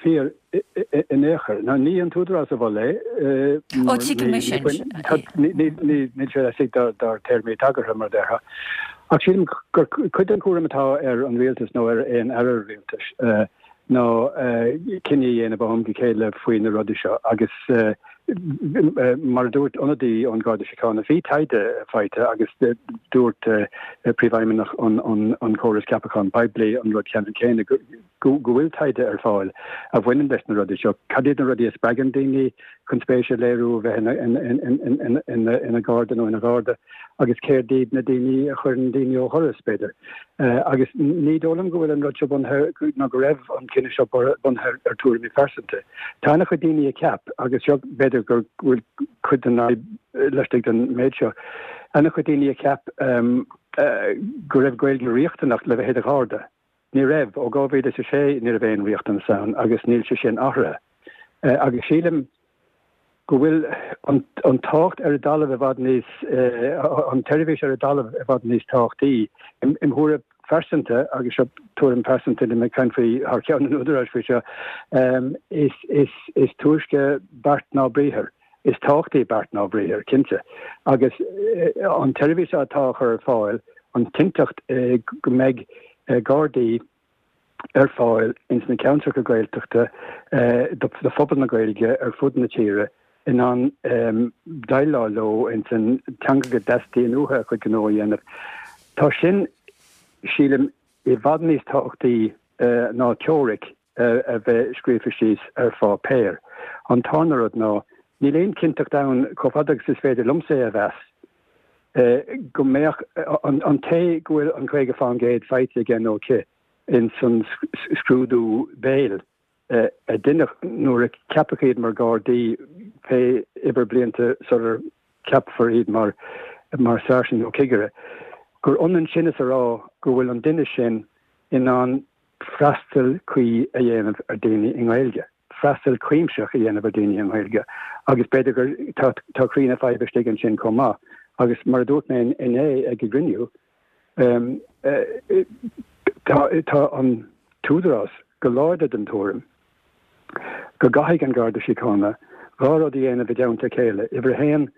fíor in aon chor. Now, ní an tÚdarás a mhol é. Ó, tuigim é sin. Níl sé laistigh dár dtéarmaí tagartha, mar a déarfá. Ach sílim gur cuid den chúram atá ar an rialtas nó ar aon aire rialtais ná cinneadh a dhéanamh ó am go chéile faoi na rudaí seo agus mar a dúirt ionadaí ón Gharda Síochána, bhí taighde faighte agus dúirt Príomhfheidhmeannach an Chórais Ceapachán Poiblí an rud ceannann céanna, go bhfuil taighde ar fáil a bhaineann leis na rudaí seo. Cad iad na rudaí a spreagann daoine chun spéis a léiriú a bheith ina nGarda nó ina Gharda agus céard iad na daoine a chuireann daoine ó dhoras, b'fhéidir. Agus ní dóigh liom go bhfuil an rud seo bunaithe, nó go raibh an cinneadh seo bunaithe ar tuairimí pearsanta. Tá an-chuid daoine a cheap, agus seo b'fhéidir go bhfuil cuid den fhadhb laistigh den méid seo, an-chuid daoine a cheap go raibh Gaeilge riachtanach le bheith i do Gharda. Ní raibh. Ó dhá mhíle is a sé ní raibh aon riachtanas ann agus níl sé sin athraithe. Agus sílim go bhfuil an tábhacht ar an dtalamh i bhfad níos, an tseirbhís ar an dtalamh i bhfad níos tábhachtaí. Im thuairim phearsanta, agus seo tuairim phearsanta, níl mé ag caint faoi thar ceann an Údaráis faoi seo, is túisce beart ná briathar. Is tábhachtaí beart ná briathar, cinnte. Agus an tseirbhís atá á chur ar fáil, an chinnteacht go mbeidh Gardaí ar fáil ins na ceantracha Gaeltachta do phobal na Gaeilge ar fud na tíre in ann déileáil leo ins an teanga go dteastaíonn uathu a chuid gnó a dhéanamh. Tá sin, sílim, i bhfad níos tábhachtaí ná teoiric a bheith scríofa síos ar pháipéar. An tarna rud ná, níl aon chinnteacht ann, chomh fada agus is féidir liomsa é a mheas, go mbeadh an té go bhfuil an caoga fán gcéad faighte aige nó aici ins an scrúdú béil a deineadh nuair a ceapadh iad mar Ghardaí pé uimhir blianta sular ceapfar iad mar mar sáirsint nó cigire, gur ionann sin is a rá go bhfuil an duine sin in ann freastal cuí a dhéanamh ar daoine i nGaeilge. freastal cuimsitheach a dhéanamh ar daoine i nGaeilge agus b'fhéidir gur tá tá croí na faidhbe istigh ansin chomh maith agus mar a dúirt mé inné ag an gcruinniú tá tá an tÚdarás go láidir den tuairim go gcaithfidh an Garda Síochána dhá rud a dhéanamh i dteannta a chéile, uimhir a haon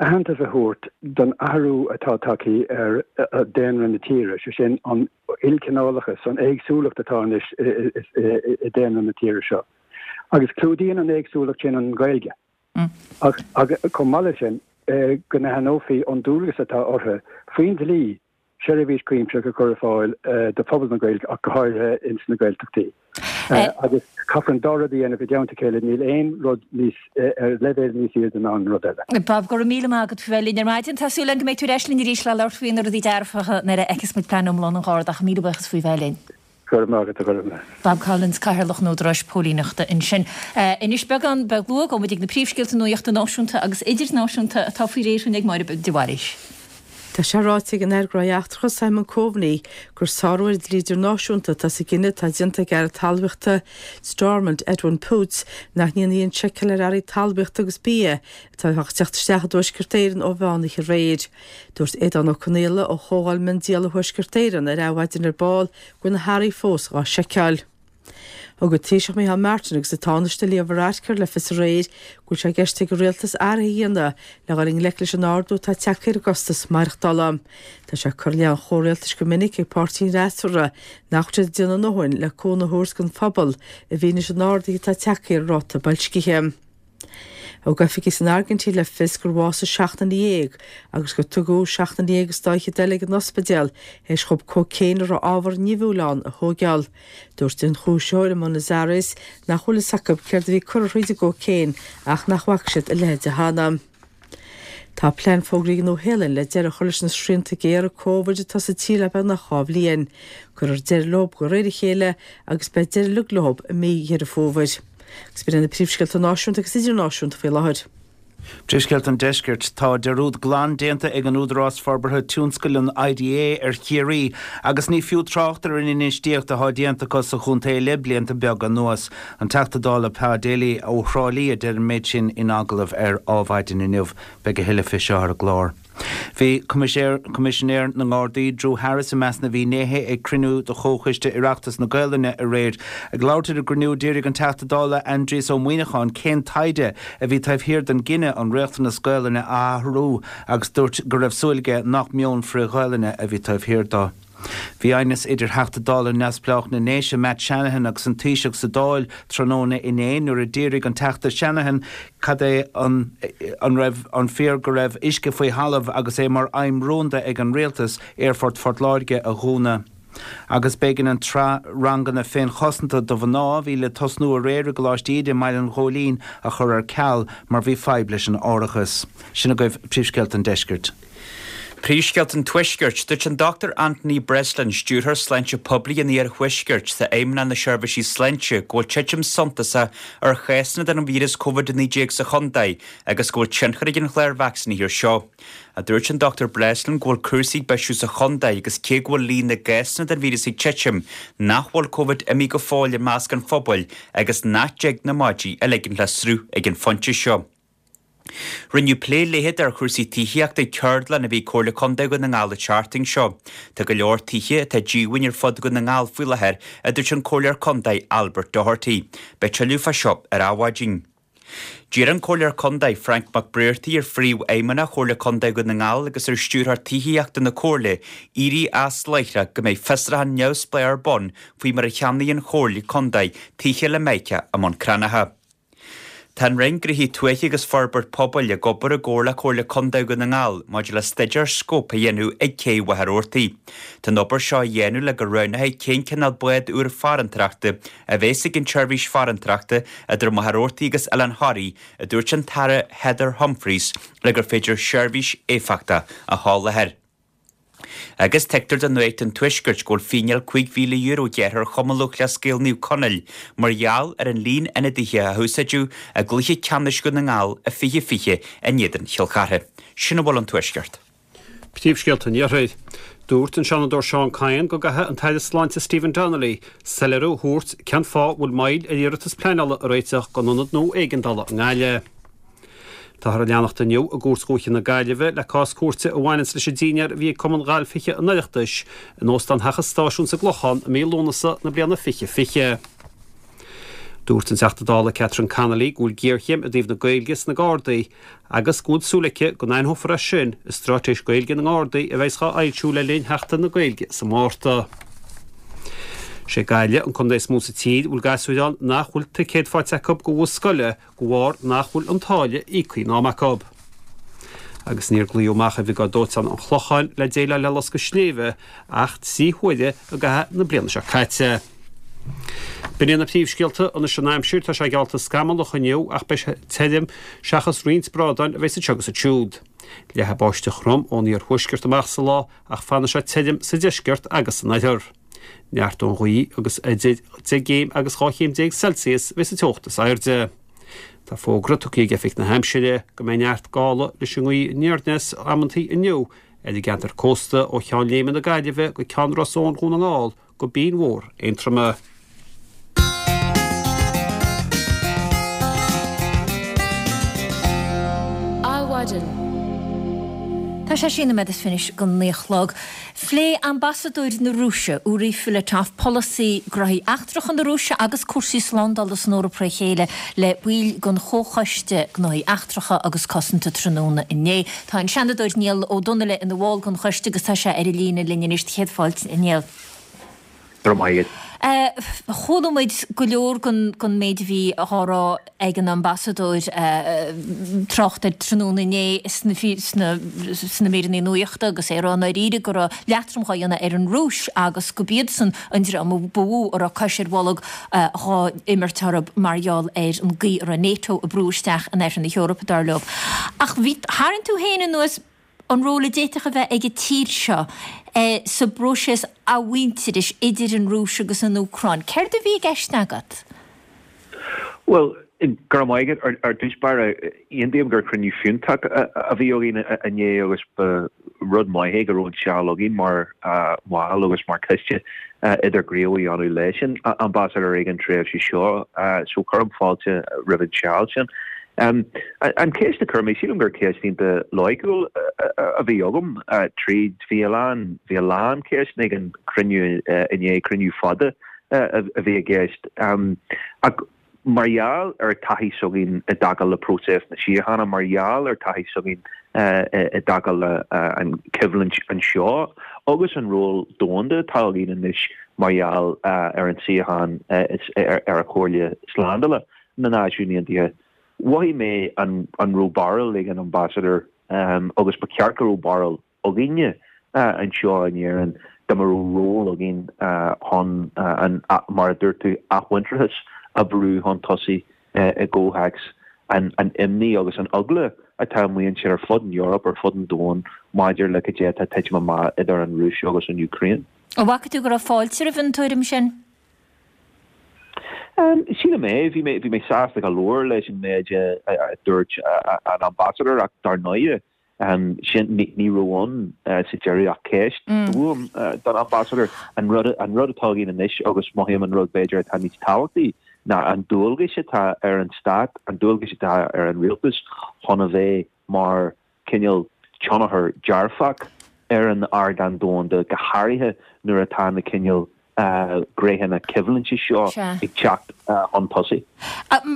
aitheantas a thabhairt don athrú atá tagtha ar daonra na tíre, sé sin an ilchineálachas, an éagsúlacht atá anois i daonra na tíre seo. Agus clúdaíonn an éagsúlacht sin an Ghaeilge. Ach chomh maith leis sin, go n-aithneofaí an dualgas atá orthu faoin dlí seirbhís chuimsitheach a chur ar fáil do phobal na Gaeilge ach go háirithe ins na Gaeltachtaí. Agus caithfear an dá rud a dhéanamh i dteannta a chéile, níl aon rud níos ar leibhéal níos airde ná an rud eile. Bob, go raibh míle maith agat faoi bheith linn ar maidin. Tá súil agam go mbeidh tú ar ais linn arís le labhairt faoi na rudaí dearfacha nuair a fheicfeas muid plean iomlán an Gharda ach míle buíochas faoi bheith linn. Go raibh maith agat, a Ghormfhlaith. Bob Collins, Cathaoirleach an Údaráis Póilíneachta ansin. Anois beagán beag luath, gabhfaidh muid ag na príomhscéalta nuachta náisiúnta agus idirnáisiúnta atá faoi réir ag Máire de Bhailís. Tá sé ráite ag an Aire Gnóthaí Eachtracha Simon Coveney gur sárú ar dhlí idirnáisiúnta atá sa gcinneadh atá déanta ag Aire Talmhaíochta Stormont Edwin Poots nach ndéanfaí aon seiceáil ar earraí talmhaíochta agus bia atá ag teacht isteach i dTuaisceart Éireann ó mheán oíche aréir. Dúirt Aodhán Ó Conaola ó Chomhdháil Miondíola Thuaisceart Éireann ar Adhmhaidin ar ball go bhfuil na hearraí fós dhá seiceáil. Thug an Taoiseach Micheál Martin agus an Tánaiste Leo Varadkar le fios aréir go bhfuil sé i gceist ag an rialtas athruithe a dhéanamh le dhul i ngleic leis an ardú atá tagtha ar an gcostas maireachtála. Tá sé curtha i leith an chomhrialtais go minic ag páirtí an fhreasúra nach bhfuil siad ag déanamh a ndóthain le cúnamh a thabhairt don phobal i bhfianaise an ardaithe atá tagtha ar an ráta boilscithe. Thug oifigigh san Airgintín le fios gur bhásaigh seacht nduine dhéag agus gur tugadh seacht nduine dhéag is dá fhichead eile ag an ospidéal théis dhóibh cócaon a raibh ábhar nimhiúil ann a thóigeáil. Dúirt ionchúisitheoir i mBuenos Aires nach bhfuil fhios acu céard a bhí curtha thríd an gcócaon ach nach bhfaca siad a leithéid cheana. Tá plean fógraithe ag an Nua-Shéalainn le deireadh a chur leis na srianta géara Covid atá sa tír le beagnach dhá bhliain. Cuirfear deireadh leo de réir a chéile agus beidh deireadh uilig leo i mí Dheireadh Fómhair. Agus b'in iad na príomhscéalta náisiúnta agus idirnáisiúnta faoi láthair. Príomhscéalta an Deiscirt, Tá dearúd glan déanta ag an Údarás Forbartha Tionscail, an I D A, ar Chiarraí agus ní fiú trácht ar an infheistíocht atá déanta acu sa chontae le blianta beaga anuas. An Teachta Dála Pa Daly ó Thrá Lí a deir an méid sin in agallamh ar Adhmhaidin inniu. Beidh a thuilleadh faoi seo ar an gclár. Bhí Coimisinéir na nGardaí Drew Harris i measc na bhfinnéithe ag cruinniú de Chomhchoiste Oireachtais na Gaelainne aréir. Ag labhairt ar an gcruinniú d'fhiafraigh an Teachta Dála Aindrias Ó Muimhneacháin cén taighde a bhí taobh thiar den gcinneadh an riachtanas Gaelainne a athrú agus dúirt go raibh súil aige nach meon frith-Ghaelainne a bhí taobh thiar dó. Bhí aighneas idir Theachta Dála neamhspleách na nDéise Matt Shanahan agus an Taoiseach sa Dáil tráthnóna inné nuair a d'fhiafraigh an Teachta Shanahan cad é an an raibh an fíor go raibh uisce faoi thalamh agus é mar aidhm rúnda ag an rialtas Aerfort Phort Láirge a dhúnadh. Agus b'éigean an tsraith ranganna féinchosanta do mhná a bhí le tosnú aréir i gColáiste Íde i mBaile an Ghóilín a chur ar ceal mar bhí fadhb leis an árachas. Sin agaibh príomhscéalta an deiscirt. Príomhscéalta an Tuaiscirt, dúirt an Dochtúir Anthony Breslin, Stiúrthóir Sláinte Poiblí an Iarthuaiscirt sa Fheidhmeannacht na Seirbhísí Sláinte, go bhfuil titim suntasach ar chásanna den víreas Covid a naoi déag sa chontae agus go bhfuil tionchar ag an chlár vacsaínithe air seo. A dúirt an Dochtúir Breslin go bhfuil cúrsaí ag bisiú sa chontae agus cé go bhfuil líon na gcásanna den víreas ag titim nach bhfuil Covid imithe go fóill i measc an phobail agus nach dtig na maidí a ligean le sruth ag an phointe seo. Rinneadh plé leithead ar chúrsaí tithíochta ag ceardlann a bhí Comhairle Contae Dhún na nGall an tseachtain seo. Tá go leor tithe atá díomhaoin ar fud Dhún na nGall faoi láthair, a dúirt an Comhairleoir Contae Albert Doherty. Beidh tuilleadh fá seo ar Adhmhaidin. D'iarr an Comhairleoir Contae Frank McBrearty ar Phríomhfheidhmeannach Chomhairle Contae Dhún na nGall agus ar Stiúrthóir Tithíochta na Comhairle éirí as láithreach go mbeidh fiosrúchán neamhspleách ar bun faoi mar a cheannaigh an Chomhairle Contae tithe le Meice i mBun Cranncha. Tá an Roinn Gnóthaí Tuaithe agus Forbairt Pobail ag obair i gcomhar le Comhairle Contae Dhún na nGall maidir le staidéar scóip a dhéanamh ag Cé Mhachaire Rabhartaigh. Tá an obair seo á dhéanamh le go roghnófaí cén cineál bád úr farantóireachta a bheas ag an tseirbhís farantóireachta idir Machaire Rabhartaigh agus Oileán Thoraí, a dúirt an tAire Heather Humphreys le gur féidir seirbhís éifeachtach a sholáthar. Agus tuigtear do Nuacht an Tuaiscirt go bhfuil fíneáil cúig mhíle euro gearrtha ar Chumann Lúthchleas Gael Naomh Conaill mar gheall ar an líon ionadaithe a húsáideadh i gcluiche ceannais Dhún na nGall i fiche fiche in éadan Chill Chartha. Sin a bhfuil ón Tuaisceart. Príomhscéalta an Iarthair. Dúirt an Seanadóir Seán Kyne go gcaithfidh an tAire Sláinte Stephen Donnelly soiléiriú a thabhairt cén fáth a bhfuil moill ar iarratas pleanála a réiteach don ionad nua éigeandála i nGaillimh. Táthar ag leanacht inniu i gCúirt Dhúiche na Gaillimhe le cás cúirte a bhaineanns leis an dinnéar a bhí ag Cumann Gailf Thithe an Oireachtais in Óstán Theach an Stáisiúin sa gClochán i mí Lúnasa na bliana fiche fiche. Dúirt an Teachta Dála Catherine Connolly go bhfuil géarchéim i dtaobh na Gaeilge sna Gardaí agus go bhfuil súil aici go n-aithneofar é sin i straitéis Gaeilge na nGardaí a bheas á fhoilsiú le linn Sheachtain na Gaeilge sa Mhárta. Sé Gaillimh an contae is mó sa tír bhfuil gasúir ann nach bhfuil ticéad faighte acu do bhus scoile de bharr nach bhfuil an táille íoctha in am acu. Agus níor glaodh amach ar Bhriogáid Dóiteáin an Chlocháin le déileáil le loscadh sléibhe ach trí huaire i gcaitheamh na bliana seo caite. B'in iad na príomhscéalta anois an aimsir tá sé geallta scamallach inniu ach beidh sé tirim seachas roinnt brádáin a bheidh anseo agus ansiúd. Leathfaidh báisteach throm ón iarthuaisceart amach sa lá ach fanfaidh sé tirim sa deisceart agus san oirthear. Neartóidh an ghaoth agus idir deich gcéim agus dhá chéim déag Celsius a bheidh sa teocht is airde. Tá fógra tugtha ag Oifig na hAimsire go mbeidh neart gála leis an ngaoth aniar aneas amantaí inniu ar an gceantar cósta ó Cheann Léime na Gaillimhe go Ceann Ros Eoin Dhún na nGall go Binn Mhór Aontroma. Adhmhaidin. Tá sé sé nóiméad is fiche go naoi a chlog. Phléigh Ambasadóir na Rúise, Uri Filatov, polasaí gnóthaí eachtracha na Rúise agus cúrsaí slándála san Eoraip thre chéile le baill den Chomhchoiste Gnóthaí Eachtracha agus Cosanta tráthnóna inné. Tá an Seanadóir Niall Ó Donnaile ina bhall den choiste agus tá sé ar an líne linn anois. Céad fáilte, a Niall. Go raibh maith agat. Chuala muid go leor den méid a bhí á rá ag an ambasadóir trácht air tráthnóna inné sna sna míreanna nuachta agus é ag rá i ndáiríre go raibh leatrom dhá dhéanamh ar an Rúis agus go b'iadsan an dream ba mhó a raibh cos ar bholg dhá imirt orthu mar gheall ar an gcaoi a raibh NATO ag brú isteach in oirthear na hEorpa, dar leo. Ach bhí, tharraing tú féin anuas an ról a d'fhéadfadh a bheith ag an tír seo sa bpróiseas athmhuintearais idir an Rúis agus an Úcráin. Céard a bhí i gceist agat? Bhuel, go raibh maith agat. Ar dtús báire, aontaím gur cruinniú fiúntach a bhí againn inné agus ba rud maith é go raibh an seal againn mar bhaill agus mar choiste idirghníomh a dhéanamh leis an ambasadóir ag an tréimhse seo. So cuirim fáilte roimh an seal sin. An cheist a chuir mé, sílim gur ceist iontach loighciúil a bhí agam tríd, bhí a lán, bhí a lán ceisteanna ag an chruinniú inné, cruinniú fada a bhí i gceist. Ach mar gheall ar taithí s'againn i dtaca le próiseas na síochána, mar gheall ar taithí s'againn i dtaca le an choimhlint anseo agus an ról domhanda atá againn anois mar gheall ar an suíochán ar an Chomhairle Slándála na Náisiún Aontaithe, Mhothaigh mé an raibh barúil ag an ambasadóir agus ba cheart go raibh barúil againne anseo in Éirinn dá mba raibh ról againn chun an, mar a dúirt tú, athmhuintearas a bhrú chun tosaigh i gcomhthéacs an imní agus an eagla atá amuigh ansin ar fud an Eoraip, ar fud an domhain maidir le cad é atá ag titim amach idir an Rúis agus an Úcráin. An bhfaca tú go raibh fáilte roimh an tuairim sin? Sílim é. Bhí mé, bhí mé sásta go leor leis an méid a dúirt an Ambasadóir ach dar ndóighe, sin, ní raibh ann sa deireadh ach ceist uaim don Ambasadóir. An rud, an rud atá againn anois agus mothaím an rud b'fhéidir atá níos tábhachtaí ná an dualgais atá ar an Stát, an dualgais atá ar an Rialtas chun a bheith mar cineál tionchar dearfach ar an ardán domhanda, go háirithe nuair atá na cineál gnéithe coimhlinte seo ag teacht chun tosaigh.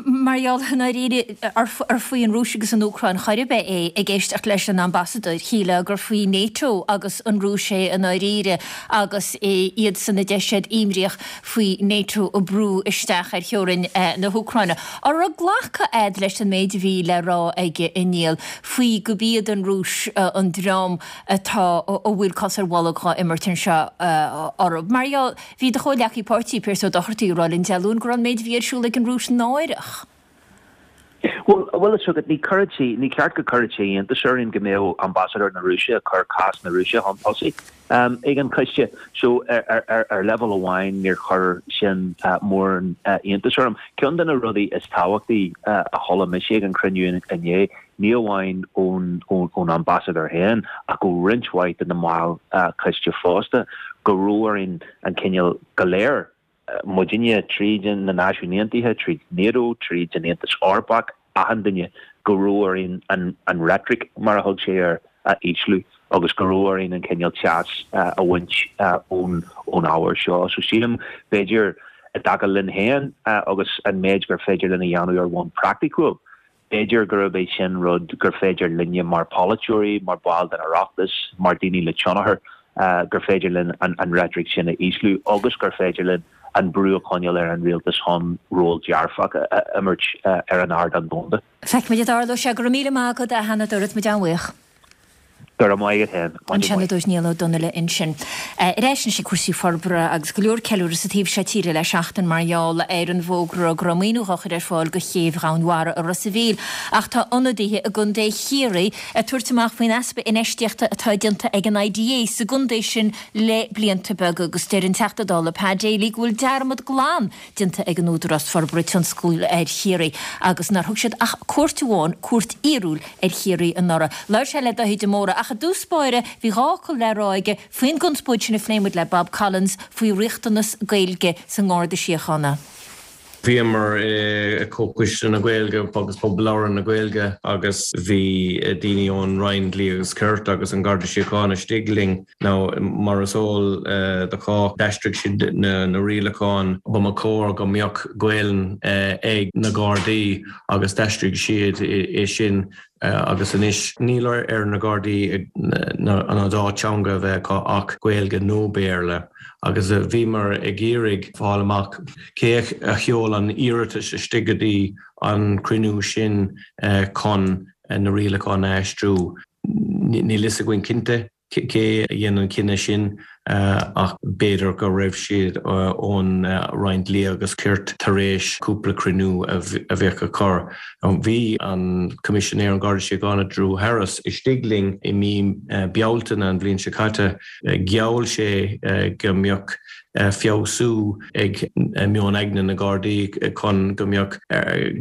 Mar gheall, i ndáiríre, ar faoi an Rúis agus an Úcráin chor ar bith é, ag éisteacht leis an ambasadóir, shílfeá gur faoi NATO agus an Rúis é i ndáiríre agus iadsan a deir siad imníoch faoi NATO ag brú isteach ar theorainn na hÚcráine. An raibh glacadh a'd leis an méid a bhí le rá aige a Niall faoi go b'iad an Rúis an dream atá, a bhfuil cos ar bholg dhá imirt anseo orthu? Mar gheall, bhí do chomhghleacaí páirtí, Pearse Ó Dochartaigh, ag rá linn Dé Luain go raibh an méid a bhí ar siúl ag an Rúis náireach. Bhuel, bhfuil fhios agat, ní cuireann sé, ní ceart go cuireann sé iontas orainn go mbeadh ambasadóir na Rúise ag cur cás na Rúise chun tosaigh ag an choiste. So, ar, ar leibhéal amháin, níor chuir sin mórán iontais orm. Ceann de na rudaí is tábhachtaí a chuala mise ag an chruinniú inné, ní amháin ón, ón ambasadóir féin ach ó roinnt mhaith de na baill choiste fosta, go raibh orainn an cineál go léir, muidinne, tríd na Náisiúin Aontaithe, tríd NATO, tríd an Aontas Eorpach, achan duine, go raibh orainn an reitric, mar a thug sé air, a ísliú agus go raibh orainn an cineál teas a bhaint ón ábhar seo. So sílim, b'fhéidir, i dtaca linn féin agus an méid gur féidir linn a dhéanamh ar bhonn praiticiúil, B'fhéidir gurb é sin rud gur féidir linne mar pholaiteoirí, mar bhaill den Oireachtas, mar daoine le tionchar, gur féidir linn an reitric sin a ísliú agus gur féidir linn an brú a choinneáil ar an rialtas chun ról dearfach a imirt ar an ardán domhanda. Feicfimid an dtarlóidh sé. Go raibh míle maith agat, a Sheanadóir, tá muid an-bhuíoch. Go raibh maith agat féin. An Seanadóir Niall Ó Donnaile ansin. Ar ais anois ag cúrsaí forbartha agus go leor ceiliúradh sa taobh seo tíre le seachtain mar gheall ar an bhfógra go raibh maoiniú dhá chur ar fáil do chéibh Dhomhan Mhara i Ros a' Mhíl. Ach tá ionadaithe i gContae Chiarraí ag tabhairt amach faoin easpa infheistíochta atá déanta ag an IDA sa gcontae sin le blianta beaga agus deir an Teachta Dála Pa Daly go bhfuil dearmad glan déanta ag an Údarás Forbartha Tionscail ar Chiarraí agus nár thug siad ach cuairt amháin, cuairt fhíorúil, ar Chiarraí anuraidh. Labhair sé le Dáithí de Mórdha. Ach i dtús báire bhí dhá fhocal le rá aige faoin gconspóid sin a phléigh muid le Bob Collins faoi riachtanas Gaeilge sa nGarda Síochána. Bhíomar i Comhchoiste na Gaeilge agus Pobal Labhartha na Gaeilge agus bhí daoine ón Roinn Dlí agus Cirt agus an Garda Síochána istigh linn. Now mar is eol do chách d'aistrigh siad na na rialacháin ba mba chóir go mbeadh Gaelainn ag na Gardaí agus d'aistrigh siad é sin agus anois níl ar na Gardaí an dá teanga a bheith acu ach Gaeilge nó Béarla. Agus bhíomar ag iarraidh fáil amach cé a sheol an iarratas istigh go dtí an cruinniú sin chun na rialacháin a aistriú. Níl fhios againn cinnte cé a dhein an cinneadh sin ach b'fhéidir go raibh siad ón Roinn Dlí agus Cirt tar éis cúpla cruinniú a bheith acu. Bhí an Coimisinéir an Garda Síochána Drew Harris istigh linn i mí Bealtaine an bhliain seo caite. Gheall sé go mbeadh feabhsú ag meon aigne na Gardaí chun go mbeadh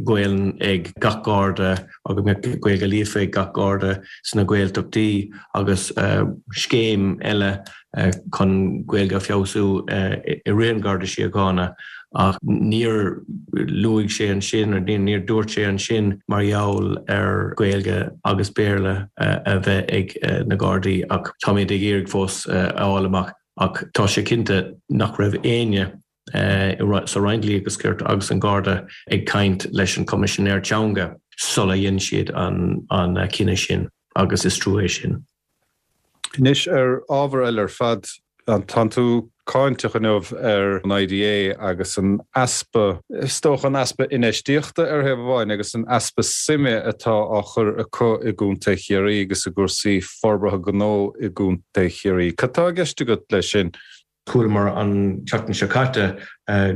Gaelainn ag gach Garda agus go mbeadh Gaeilge líofa ag gach Garda sna Gaeltachtaí agus scéim eile chun Gaeilge a feabhsú i rith an Garda Síochána ach níor luaigh sé ansin níor dúirt sé ansin mar gheall ar Gaeilge agus Béarla a bheith ag na Gardaí ach táimid ag iarraidh fós a fháil amach ach tá sé cinnte nach raibh éinne sa Roinn Dlí agus Cirt agus an Garda ag caint leis an Coimisinéir Teanga sula dhein siad an an cinneadh sin agus is trua é sin. Anois ar ábhar eile ar fad, tánn tú cáinteach inniu ar an IDA agus an easpa, is dócha an easpa infheistíochta ar thaobh amháin agus an easpa suime atá á chur acu i gContae Chiarraí agus i gcúrsaí forbartha gnó i gContae Chiarraí. Cad tá i gceist agat leis sin? Chualamar an tseachtain seo caite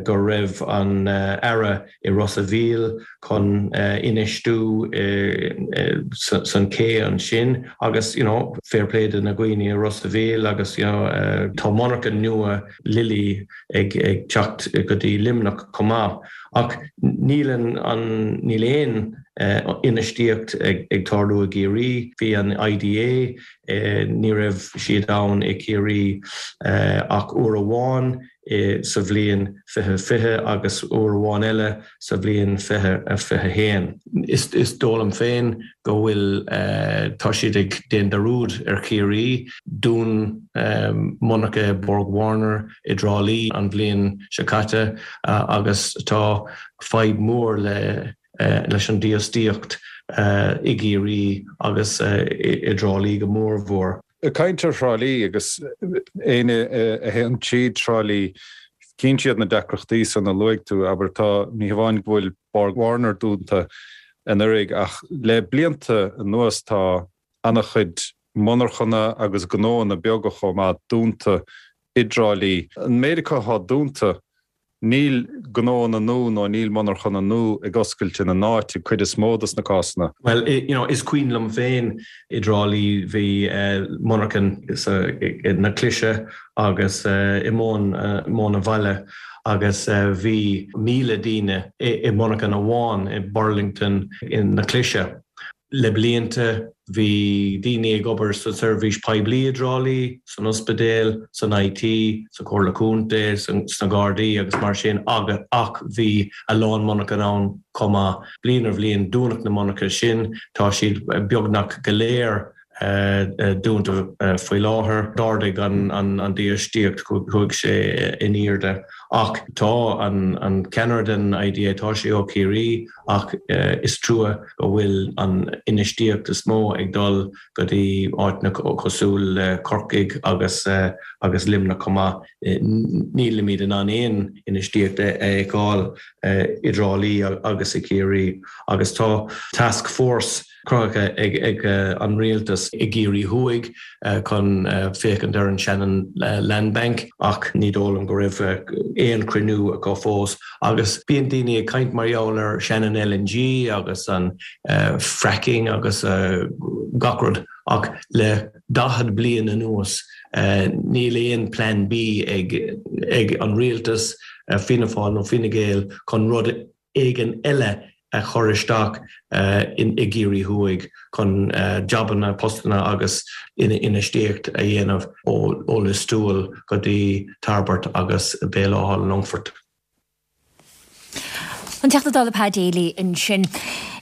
go raibh an Aire i Ros a' Mhíl chun infheistiú san cé ansin agus you know, fair play do na daoine i Ros a' Mhíl agus you know, tá monarcha nua Lilly ag ag teacht go dtí Luimneach chomh maith. Ach níl an níl aon infheistíocht ag ag tarlú i gCiarraí, bhí an IDA ní raibh siad ann i Ciarraí ach uair amháin sa bhliain fiche fiche agus uair amháin eile sa bhliain fiche fiche haon. Is is dóigh liom féin go bhfuil tá siad ag déanamh dearúd ar Chiarraí, dún monarcha Borg Warner i dTrá Lí an bhliain seo caite agus tá fadhb mór le leis an dífhostaíocht i gCiarraí agus i dTrá Lí go mórmhór. Ag caint ar Thrá Lí agus éinne a théann tríd Trá Lí, cíonn siad na deacrachtaí san a luaigh tú, abair tá ní hamháin go bhfuil Borg Warner dúnta anuraidh ach le blianta anuas tá an-chuid monarchana agus gnóanna beaga chomh maith dúnta i dTrá Lí. An méid acu atá dúnta, níl gnóanna nua nó níl monarchana nua ag oscailt ina n-áit i cuid is mó dos na cásanna. Bhuel, you know, is cuimhin liom féin i dTrá Lí bhí monarchan sa na Clise agus i Móin Móin an Bhaile agus bhí míle daoine i monarchan amháin i Burlington in na Clise. Le blianta bhí daoine ag obair sa seirbhís poiblí i dTrá Lí, san ospidéal, san IT, sa Chomhairle Contae, sna Gardaí agus mar sin ach bhí a lán monarchan ann chomh maith. Bliain ar bhliain dúnadh na monarcha sin, tá siad beagnach go léir dúnta faoi láthair. D'ardaigh an dífhostaíocht, chuaigh sé in airde. Ach tá an ceannaire den IDA, tá sé ó Chiarraí ach is trua go bhfuil an infheistíocht is mó ag dul go dtí áiteanna cosúil le Corcaigh agus agus Luimneach chomh maith. Nílimid in ann aon infheistíocht a fheiceáil i dTrá Lí agus i Ciarraí agus tá task force cruthaithe ag ag an rialtas i gCiarraí Thuaidh chun féachaint ar an Shannon Land Bank ach ní dóigh liom go raibh aon cruinniú acu fós agus bíonn daoine ag caint mar gheall ar Shannon LNG agus an fracking agus gach rud ach le daichead bliain anuas níl aon plan B ag ag an rialtas Fianna Fáil nó Fine Gael chun rud éigin eile a chur isteach in i gCiarraí Thuaidh chun jabanna, postanna agus infheistíocht a dhéanamh ó Lios Tuathail go dtí Tairbeart agus Béal Átha an Longfoirt. An Teachta Dála Pa Daly ansin.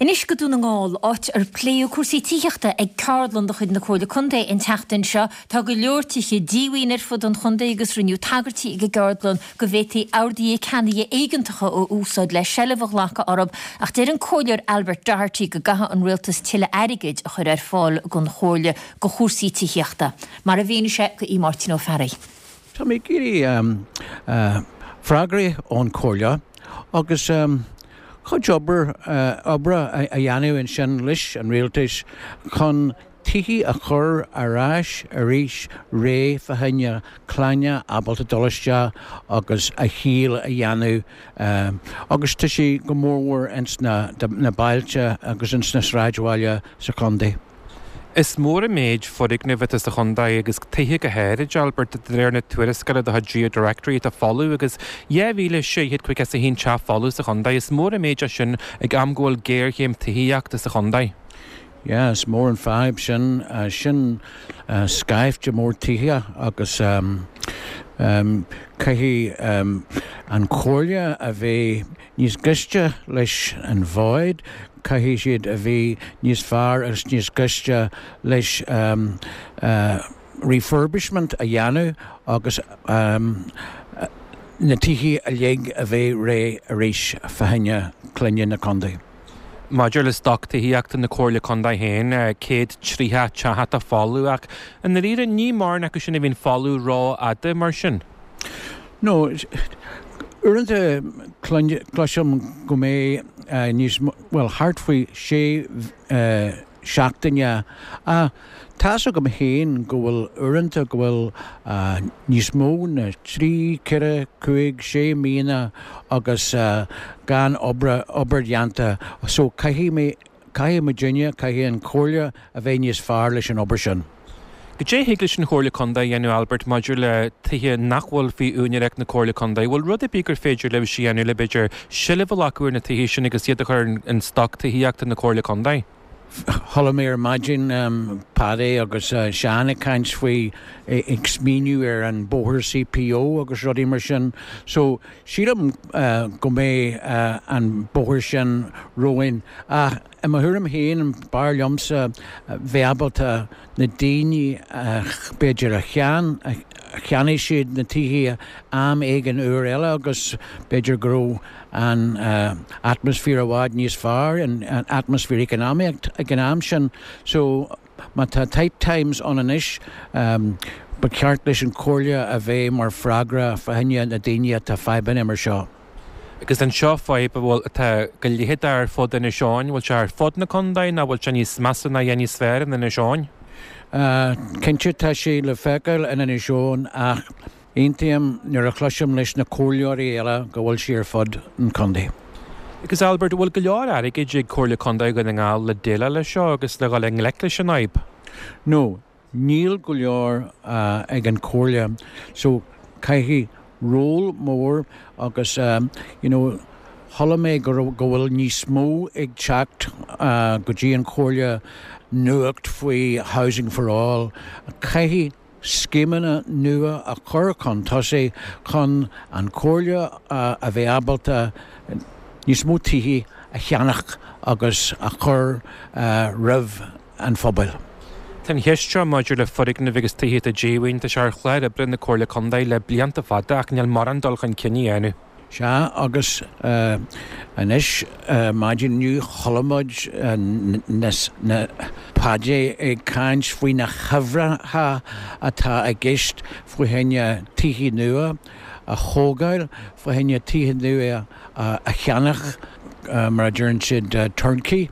Anois go Dún na nGall, áit ar pléadh cúrsaí tithíochta ag ceardlann de chuid na Comhairle Contae an tseachtain seo. Tá go leor tithe díomhaoin ar fud an chontae agus rinneadh tagairtí ag an gceardlann go bhféadfaí orduithe ceannaithe éigeantacha a úsáid le seilbh a ghlacadh orthu ach deir an Comhairleoir Albert Doherty go gcaithfidh an Rialtas tuilleadh airgid a chur ar fáil don Chomhairle do chúrsaí tithíochta. Mar a mhínigh sé do Mháirtín Ó Fearraigh. Tá mé ag iarraidh freagraí ón Chomhairle agus cuid obair oibre a dhéanamh ansin leis an rialtas chun tithe a chur ar ais arís réidh fá choinne clainne ábalta dul isteach agus a shaol a dhéanamh agus tá sé go mórmhór ins na na bailte agus ins na sráidbhaile sa chontae. Is mór an méid foirgneamh atá sa chontae agus tithe go háirid, Albert, de réir na tuarascála de chuid GeoDirectory atá folamh agus dhá mhíle sé chéad caoga is a haon teach folamh sa chontae. Is mór an méid é sin ag am go bhfuil géarchéim tithíochta sa chontae. Yeah, is mór an fadhb sin. Sin scaifte mór tithe agus caithfidh an Chomhairle a bheith níos gaiste leis an bhfad, caithfidh siad a bheith níos fearr agus níos gaiste leis refurbishment a dhéanamh agus na tithe uilig a bheith réidh arís fá choinne clainne na contae. Maidir le stoc tithíochta na Comhairle Contae féin, céad tríocha teach atá folamh ach i ndáiríre ní mórán acu sin a bhíonn folamh rófhada mar sin. No, uaireanta cloisim go mbeidh níos, bhuel, thart faoi sé seachtaine ach tá's agam féin go bhfuil uaireanta go bhfuil níos mó na trí, ceithre, cúig, sé míonna agus gan obair, obair dhéanta so caithfidh mé, caithfidh muidinne, caithfidh an Chomhairle a bheith níos fearr leis an obair sin. Goidé a thig leis an Chomhairle Contae a dhéanamh, Albert, maidir le tithe nach bhfuil faoi úinéireacht na Comhairle Contae? Bhfuil rud ar bith gur féidir libhse a dhéanamh le, b'fhéidir, seilbh a ghlacadh ar na tithe sin agus iad a chur in stoc tithíochta na Comhairle Contae? Chuala mé ar maidin Paddy agus Seán ag caint faoi ag smaoineamh ar an bóthar CPO agus rudaí mar sin. So sílim go mbeidh an bóthar sin romhainn. Ach i mo thuairim féin, b'fhearr liomsa bheith ábalta na daoine b'fhéidir a cheannaigh siad na tithe am éigin uair eile agus b'fhéidir go raibh an atmaisféar i bhfad níos fearr, an atmaisféar economic ag an am sin. So má tá tight times ann anois, ba cheart leis an Chomhairle a bheith mar freagra fá choinne na daoine atá fadhbanna mar seo. Agus an seo fadhb a bhfuil, atá go leitheadach ar fud Inis Eoghain, bhfuil sé ar fud na contae nó bhfuil sé níos measa ná níos fearr in Inis Eoghain? Cinnte tá sé le feiceáil in Inis Eoghain ach aontaím nuair a chloisim leis na comhairleoirí eile go bhfuil sé ar fud an chontae. Agus Albert, bhfuil go leor airgid ag Comhairle Contae Dhún na nGall le déileáil leis seo agus le dhul i ngleic leis an fhadhb? No, níl go leor ag an Chomhairle so caithfidh ról mór agus you know chuala mé go raibh, go bhfuil níos mó ag teacht go dtí an Chomhairle nuacht faoi Housing for All. Caithfidh scéimeanna nua a chur chun tosaigh chun an Chomhairle a bheith ábalta níos mó tithe a cheannach agus a chur roimh an phobail. Tá an cheist seo maidir le foirgnimh agus tithe atá díomhaoin, tá sé ar chlár oibre na Comhairle Contae le blianta fada ach níl mórán dul chun cinn á dhéanamh. Sea, agus anois, maidin inniu, chuala muid na Paddy ag caint faoi na huimhreacha atá i gceist faoi choinne tithe nua a thógáil, faoi choinne tithe nua a cheannach, mar a deireann siad, turnkey.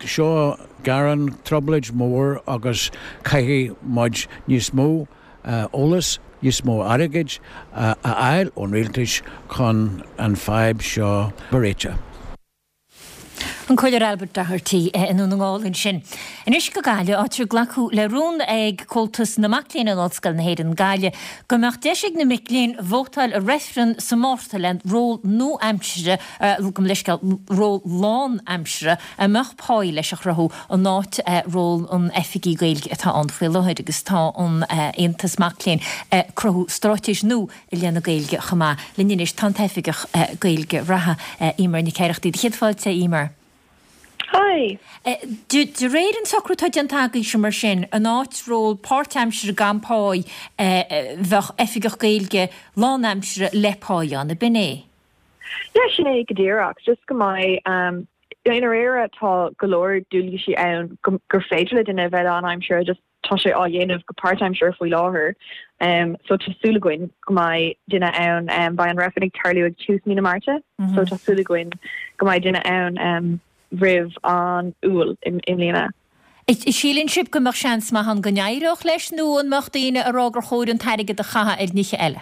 Seo gearán, trioblóid mhór agus caithfidh muid níos mó eolas, níos mó airgid a fháil ón rialtas chun an fadhb seo a réiteach. An Comhairleoir Albert Doherty i nDún na nGall ansin. Anois go Gaillimh, áit ar glacadh le rún ag Comhaltas na Mac Léinn in Ollscoil na hÉireann, Gaillimh, go mbeadh deis ag na mic léinn vótáil i reifreann sa Márta le ról nua-aimseartha, gabh mo leithscéal, ról lán-aimseartha a mbeadh páí leis a chruthú in áit ról an Oifigigh Gaeilge atá ann faoi láthair agus tá an Aontas Mac Léinn ag cruthú straitéis nua i leith na Gaeilge chomh maith. Linn anois tá an tOifigeach Gaeilge reatha, Eimear Nic Oireachtaigh. Céad fáilte, Eimear. Hi. De réir an socrú atá déanta agaibhse mar sin, in áit ról páirtaimseartha gan páí, bheadh oifigeach Gaeilge lánaimseartha le páí ann, ab in é? Yeah, sin é go díreach. Just go mbeidh, um, i ndáiríre tá go leor dualgaisí ann gur féidir le duine a bheith lánaimseartha, just tá sé á dhéanamh go páirtaimseartha faoi láthair. Um, so tá súil againn go mbeidh duine ann, um, beidh an reifreann ag tarlú ag tús mí na Márta, mm -hmm. so tá súil againn go mbeidh duine ann um, roimh an Iúil i mbliana. Síleann sibh go mbeadh seans maith ann go n-éireodh leis nó an mbeadh daoine ag rá gur chóir an t-airgead a chaitheamh ar nithe eile?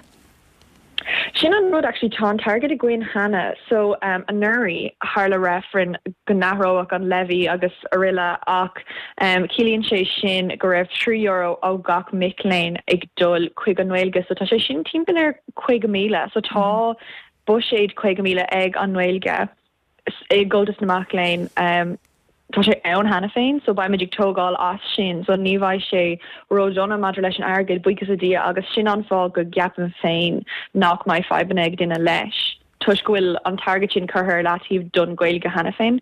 Sin an rud actually tá an t-airgead againn cheana so um, anuraidh tharla reifreann go n-athródh an levy agus araile ach um, ciallaíonn sé sin go raibh trí euro ó gach mic léinn ag dul chuig an nGaeilge so tá sé sin timpeall ar caoga míle so tá buiséad caoga míle ag an nGaeilge i gComhaltas na Mac Léinn um, tá sé ann cheana féin, so beimid ag tógáil as sin, so ní bheidh sé ródhona maidir leis an airgead, buíochas le Dia, agus sin an fáth go gceapaim féin nach mbeidh fadhbanna ag duine leis, toisc go bhfuil an t-airgead sin curtha ar leataobh don Ghaeilge cheana féin.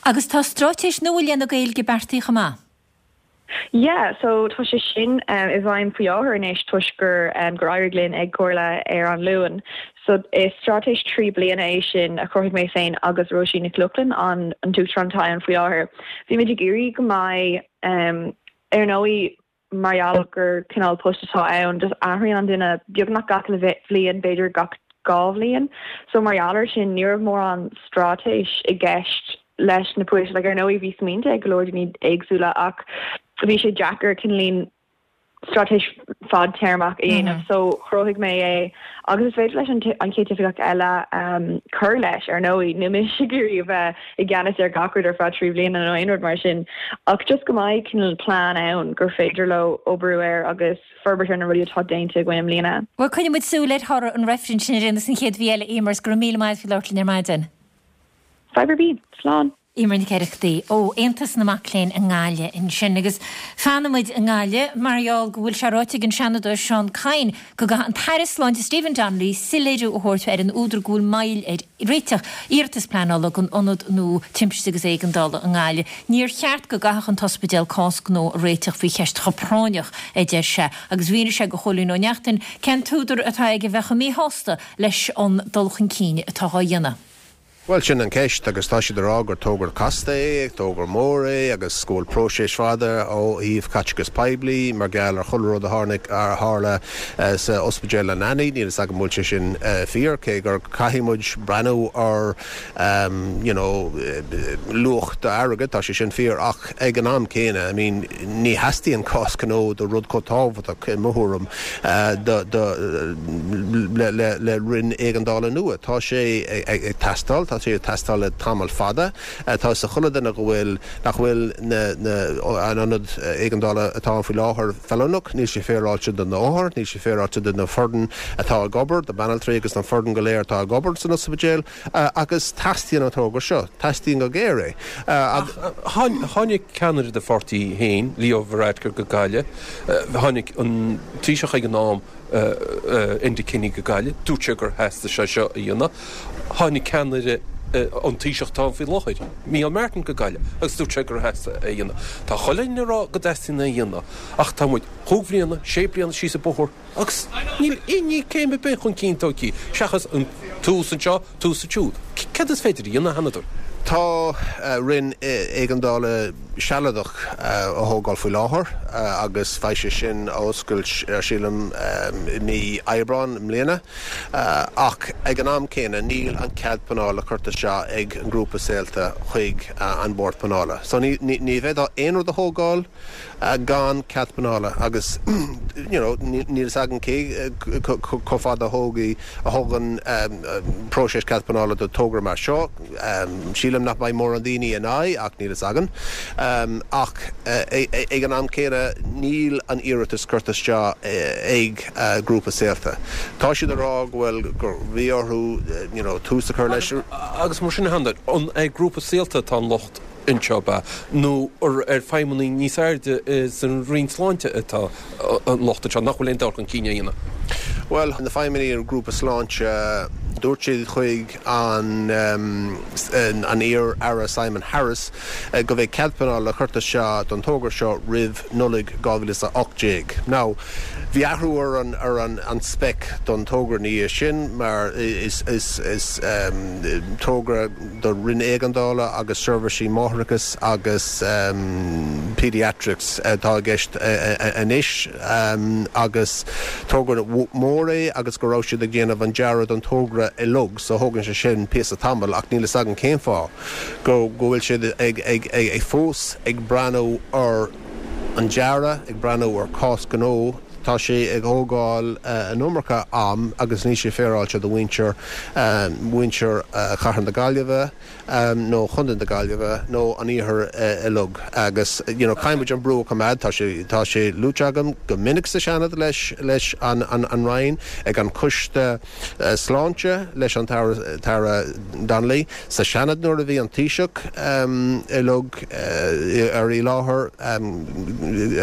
Agus tá straitéis nua i leith na Gaeilge beartaithe chomh maith? Yeah, so tá sé sin um, i bhfeidhm faoi láthair anois toisc gur um, gur éirigh linn ag comhairle ar an Luan. So is straitéis trí bliana é sin a chruthaigh mé féin agus Róisín Nic Lochlainn an an t-uachtarán atá ann faoi láthair. Bhí muid ag iarraidh go mbeidh um, ar ndóigh mar gheall gur cineál post atá ann, just athraíonn an duine beagnach gach bhliain, b'fhéidir gach dhá bhliain. So mar gheall air sin ní raibh mórán straitéis i gceist leis na poist like ar ndóigh bhí smaointe ag go leor daoine éagsúla ach bhí sé deacair cineál straitéis fadtéarmach a dhéanamh so chruthaigh mé é agus is féidir leis an an chéad oifigeach eile um, cur leis ar ndóigh níl mise ag iarraidh a bheith i gceannas ar gach rud ar feadh trí bliana nó aon rud mar sin ach just go mbeidh cineál plean ann gur féidir leo oibriú air agus forbairt ar na rudaí atá déanta againn i mbliana. Bhuel coinneoidh muid súil ar thoradh an reifrinn sin ar aon nós an chéad mhí eile Eimear go raibh míle maith agat labhairt linn ar maidin. Fadhb ar bith, slán. Eimear Nic Oireachtaigh ó Aontas na Mac Léinn i nGaillimh ansin agus fanfaidh muid i nGaillimh mar gheall go bhfuil sé ráite ag an Seanadóir Seán Kyne go gcaithfidh an tAire Sláinte Stephen Donnelly soiléiriú a thabhairt ar an údar go bhfuil moill ar réiteach iarratas pleanála don Ionad Nua Timpiste agus Éigeandála i nGaillimh. Níor cheart go gcaithfeadh an t-ospidéal cás gnó a réiteach faoi cheist chomh práinneach, a deir sé, agus mhínigh sé do Chóilín Ó Neachtain cén t-údar atá aige a bheith chomh míshásta leis an dul chun cinn atá á dhéanamh. Bhuel, sin an ceist agus tá siad ag rá gur togra casta é, togra mór é agus go bhfuil próiseas fada ó thaobh caiteachas poiblí mar gheall ar chuile rud a tháinig a tharla sa ospidéal leanaí, níl a fhios agam an bhfuil sé sin fíor, cé gur caithfidh muid breathnú ar you know luach d'airgead, tá sé sin fíor ach ag an am céanna, I mean ní theastaíonn cás gnó do rud chomh tábhachtach i mo thuairim do do le le le roinn éigeandála nua. Tá sé ag teastáil, tá sé ag teastáil le tamall fada. Tá a fhios ag chuile duine go bhfuil, nach bhfuil na, na, an ionad éigeandála atá ann faoi láthair feiliúnach, níl sé féaráilte do na hothair, níl sé féaráilte do na foireann atá ag obair, do banaltraí agus don foireann go léir atá ag obair san ospidéal agus teastaíonn an togra seo, teastaíonn go géar é. Ach tháinig ceannaire do pháirtí féin, Leo Varadkar go Gaillimh, tháinig an Taoiseach ag an am, Enda Kenny go Gaillimh, dúirt sé gur theastaigh sé seo a dhéanamh. Tháinig ceannaire an Taoiseach atá ann faoi láthair, Micheál Martin go Gaillimh agus dúirt sé gur theastaigh é a dhéanamh. Tá chuile dhuine ag rá go dteastaíonn é a dhéanamh ach tá muid chúig bhliana, sé bliana síos an bóthar agus níl aon ní céim ar bith chun cinn tógtha seachas an tús anseo, tús ansiúd. Céard is féidir a dhéanamh, a Sheanadóir? Tá roinn éigeandála sealadach á thógáil faoi láthair agus beidh sé sin á oscailt sílim i mí Aibreán i mbliana ach ag an am céanna níl an cead pleanála curtha isteach ag an ngrúpa Saolta chuig an Bord Pleanála. So ní ní bhféadfá aon rud a thógáil gan cead pleanála agus you know níl fhios againn cé chomh fada a thógfaidh a thógann próiseas cead pleanála do togra mar seo. Sílim nach mbeidh mórán daoine in aghaidh ach níl fhios againn. Ach ag an am céanna níl an iarratas curtha isteach ag grúpa Saolta. Tá siad ag rá go bhfuil gur bhí orthu you know tús a chur leis. Agus mar sin a Shandair, an ag grúpa Saolta atá an locht anseo ab ea, nó ar feidhmeannaigh níos airde san Roinn Sláinte atá an locht anseo, nach bhfuil aon dul chun cinn á dhéanamh? Bhuel, na feidhmeannaigh ar Ghrúpa Sláinte, dúirt siad chuig an an iar-Aire Simon Harris go mbeidh cead pleanála curtha isteach don togra seo roimh Nollaig dhá mhíle is a hocht déag. Now, bhí athrú ar an ar an an spec don togra ina dhiaidh sin mar is is is togra do Roinn Éigeandála agus Seirbhísí Máithreachais agus Paediatrics atá i gceist anois agus togra mór é agus go raibh siad ag déanamh an dearadh don togra uilig so thógann sé sin píosa tamaill ach níl fhios againn cén fáth go go bhfuil siad ag ag ag fós ag breathnú ar an dearadh, ag breathnú ar cás gnó. Tá sé ag thógáil an iomarca am agus níl sé féaráilte do mhuintir mhuintir Chathair na Gaillimhe nó Chontae na Gaillimhe nó an Iarthair uilig agus you know caithfidh muid an brú a choimeád. Tá sé tá sé luaite agam go minic sa Seanad leis leis an an an Roinn, ag an Coiste Sláinte leis an tAire tAire Donnelly, sa Seanad nuair a bhí an Taoiseach uilig ar i láthair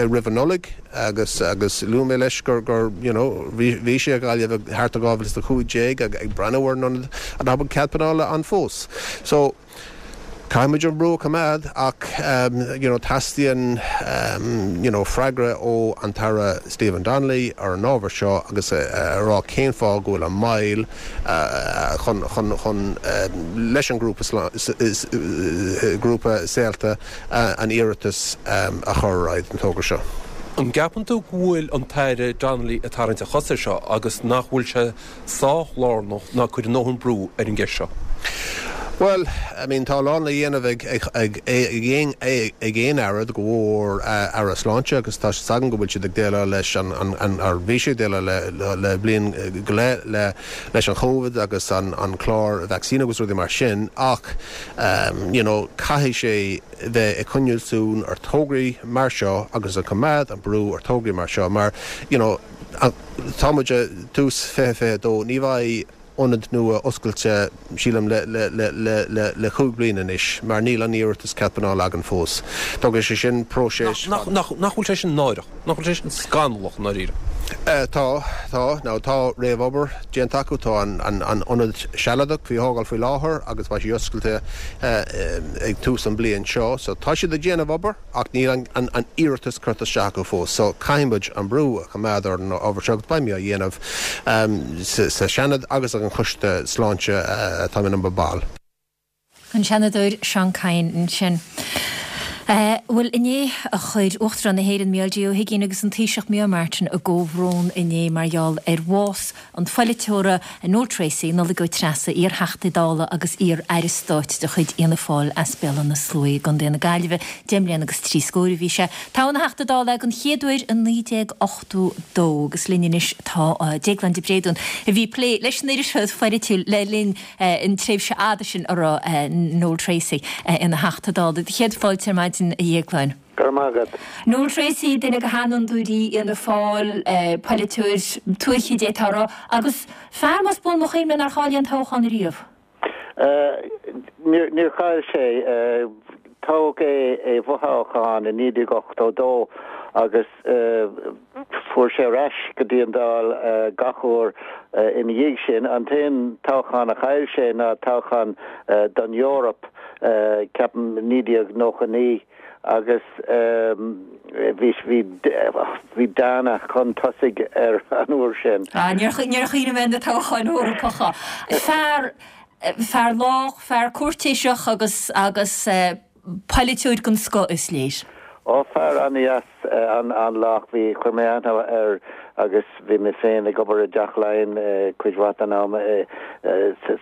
roimh an Nollaig. Agus agus luaigh mé leis gur gur you know bhí bhí sé i Gaillimh thart ar dhá mhíle is a cúig déag ag ag breathnú ar an ionad an bhfuil cead pleanála ann fós. So caithfidh muid an brú a choimeád ach you know teastaíonn you know freagra ó an tAire Stephen Donnelly ar an ábhar seo agus a rá cén fáth go bhfuil an moill chun chun chun leis an grúpa grúpa Saolta an iarratas a chur ar aghaidh don togra seo. An gceapann tú go bhfuil an tAire Donnelly ag tarraingt a chos air seo agus nach bhfuil sé sách lárnach ná cur a ndóthain brú ar an gceist seo? Bhuel, I mean, tá a lán le dhéanamh ag ag ag ag aon aire, go mhór Aire Sláinte agus tá 's againn go bhfuil siad ag déileáil leis an an ar bhí siad ag déileáil le le bliain go leith le leis an Covid agus an an clár vacsaín agus rudaí mar sin ach you know caithfidh sé bheith ag coinneáil súil ar tograí mar seo agus ag coimeád an brú ar tograí mar seo mar you know tá muid i dtús fiche fiche dó ní bheidh ionad nua oscailte sílim le le le le le le cúig bliana anois mar níl an iarratas cead pleanála againn fós. Tógann sé sin próiseas Nach nach nach bhfuil sé sin náireach? Nach bhfuil sé sin scannalach i ndáiríre? Tá, tá. Now tá réamhobair déanta acu, tá an an ionad sealadach faoi thógáil faoi láthair agus beidh sé oscailte ag tús an bliain seo. So tá siad ag déanamh obair ach níl an an an iarratas curtha isteach acu fós. So caithfidh muid an brú a choimeád ar an ábhar seo agus beidh mé á dhéanamh sa sa Seanad agus ag an Choiste Sláinte atá mé i mo bhall. An Seanadóir Seán Kyne ansin. Bhuel, inné a chuir Uachtarán na hÉireann Micheál D. Ó hUigínn agus an Taoiseach Micheál Martin a gcomhbhrón inné mar gheall ar bhás an pholaiteora Noel Treacy, Nollaig Ó Treasa, iar-Theachta Dála agus iar-Aire Stáit de chuid Fhianna Fáil as Béal Átha na Sluaighe i gContae na Gaillimhe. Deich mbliana agus trí scór a bhí sé. Toghadh ina Theachta Dála é den chéad uair i naoi déag ochtó dó agus linn anois tá Déaglán de Bréadún a bhí ag plé leis an iriseoireacht pholaitiúil le linn an tréimhse fhada sin a raibh Noel Treacy ina Theachta Dála. Céad fáilte ar maidin a Dhéagláin. Go raibh maith agat. Noel Treacy, duine de sheanfhondúirí Fhianna Fáil, polaiteoir tuaithe d'fhéadfá a rá, agus fear más buan mo chuimhne nár chaill aon toghchán ariamh. Níor chaill sé. Toghadh é i bhfothoghchán i naoi déag ochtó dó agus fuair sé ar ais go dtí an Dáil gach uair ina dhiaidh sin. An t-aon toghchán a chaill sé ná toghchán don Eoraip, ceapaim, naoi déag nócha naoi agus bhí bhí bhí Dana chun tosaigh air an uair sin. Ah, níor níor chuimhnigh mé ar na toghcháin Eorpacha. Fear fear lách, fear cúirtéiseach agus agus Polaiteoir den scoth is léir. Ó fear an-deas an-lách bhí chuir mé aithne air agus bhí mé féin ag obair i dTeach Laighean cuid mhaith den am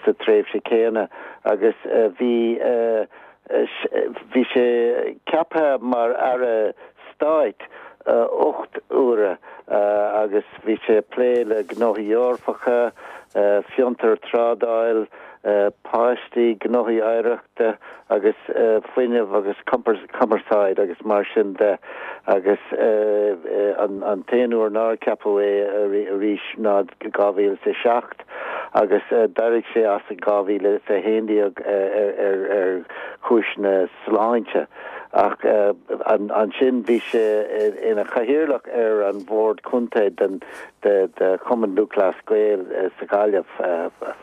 sa tréimhse céanna agus bhí bhí sé ceaptha mar aire stáit ocht uaire agus bhí sé ag plé le gnóthaí Eorpacha, fiontar, trádáil, páistí, gnóthaí oidhreachta agus fuinneamh agus cumarsáid agus mar sin de agus an t-aon uair nár ceapadh é arís ná dhá mhíle is a seacht agus d'éirigh sé as in dhá mhíle is a haon déag ar chúiseanna sláinte. Ach ansin bhí sé ina chathaoirleach ar an bhord contae den de Chumann Lúthchleas Gael sa Ghaillimh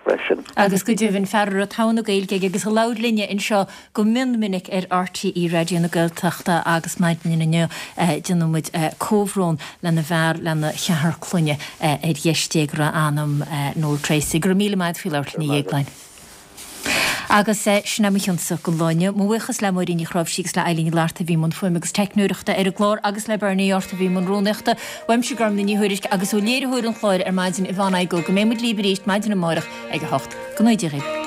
freisin. Agus go deimhin, fear a raibh togha na Gaeilge aige agus a labhair linne anseo go mion minic ar RTÉ Raidió na Gaeltachta agus maidin inniu déanann muid comhbhrón lena bhfear, lena cheathrar clainne ar dheis Dé go raibh a anam Noel Treacy. Go raibh míle maith agat faoi labhairt linn a Dhéagláin. Agus sin é mo chionsa don lá inniu. Mo bhuíochas le Máirín Ní Chráimhsí agus le Eileen Ní Fhlatharta a bhí i mbun fuaime agus teicneoireachta ar an gclár agus le Bernie Arthur a bhí i mbun rúnaíochta. Uaimse Gormlaith Ní Thuairisg agus ó léiritheoir an chláir ar maidin Yvonne Igoe go mbeidh muid libh arís maidin amárach ag a hocht. Go ngnóthaí Dia dhaoibh.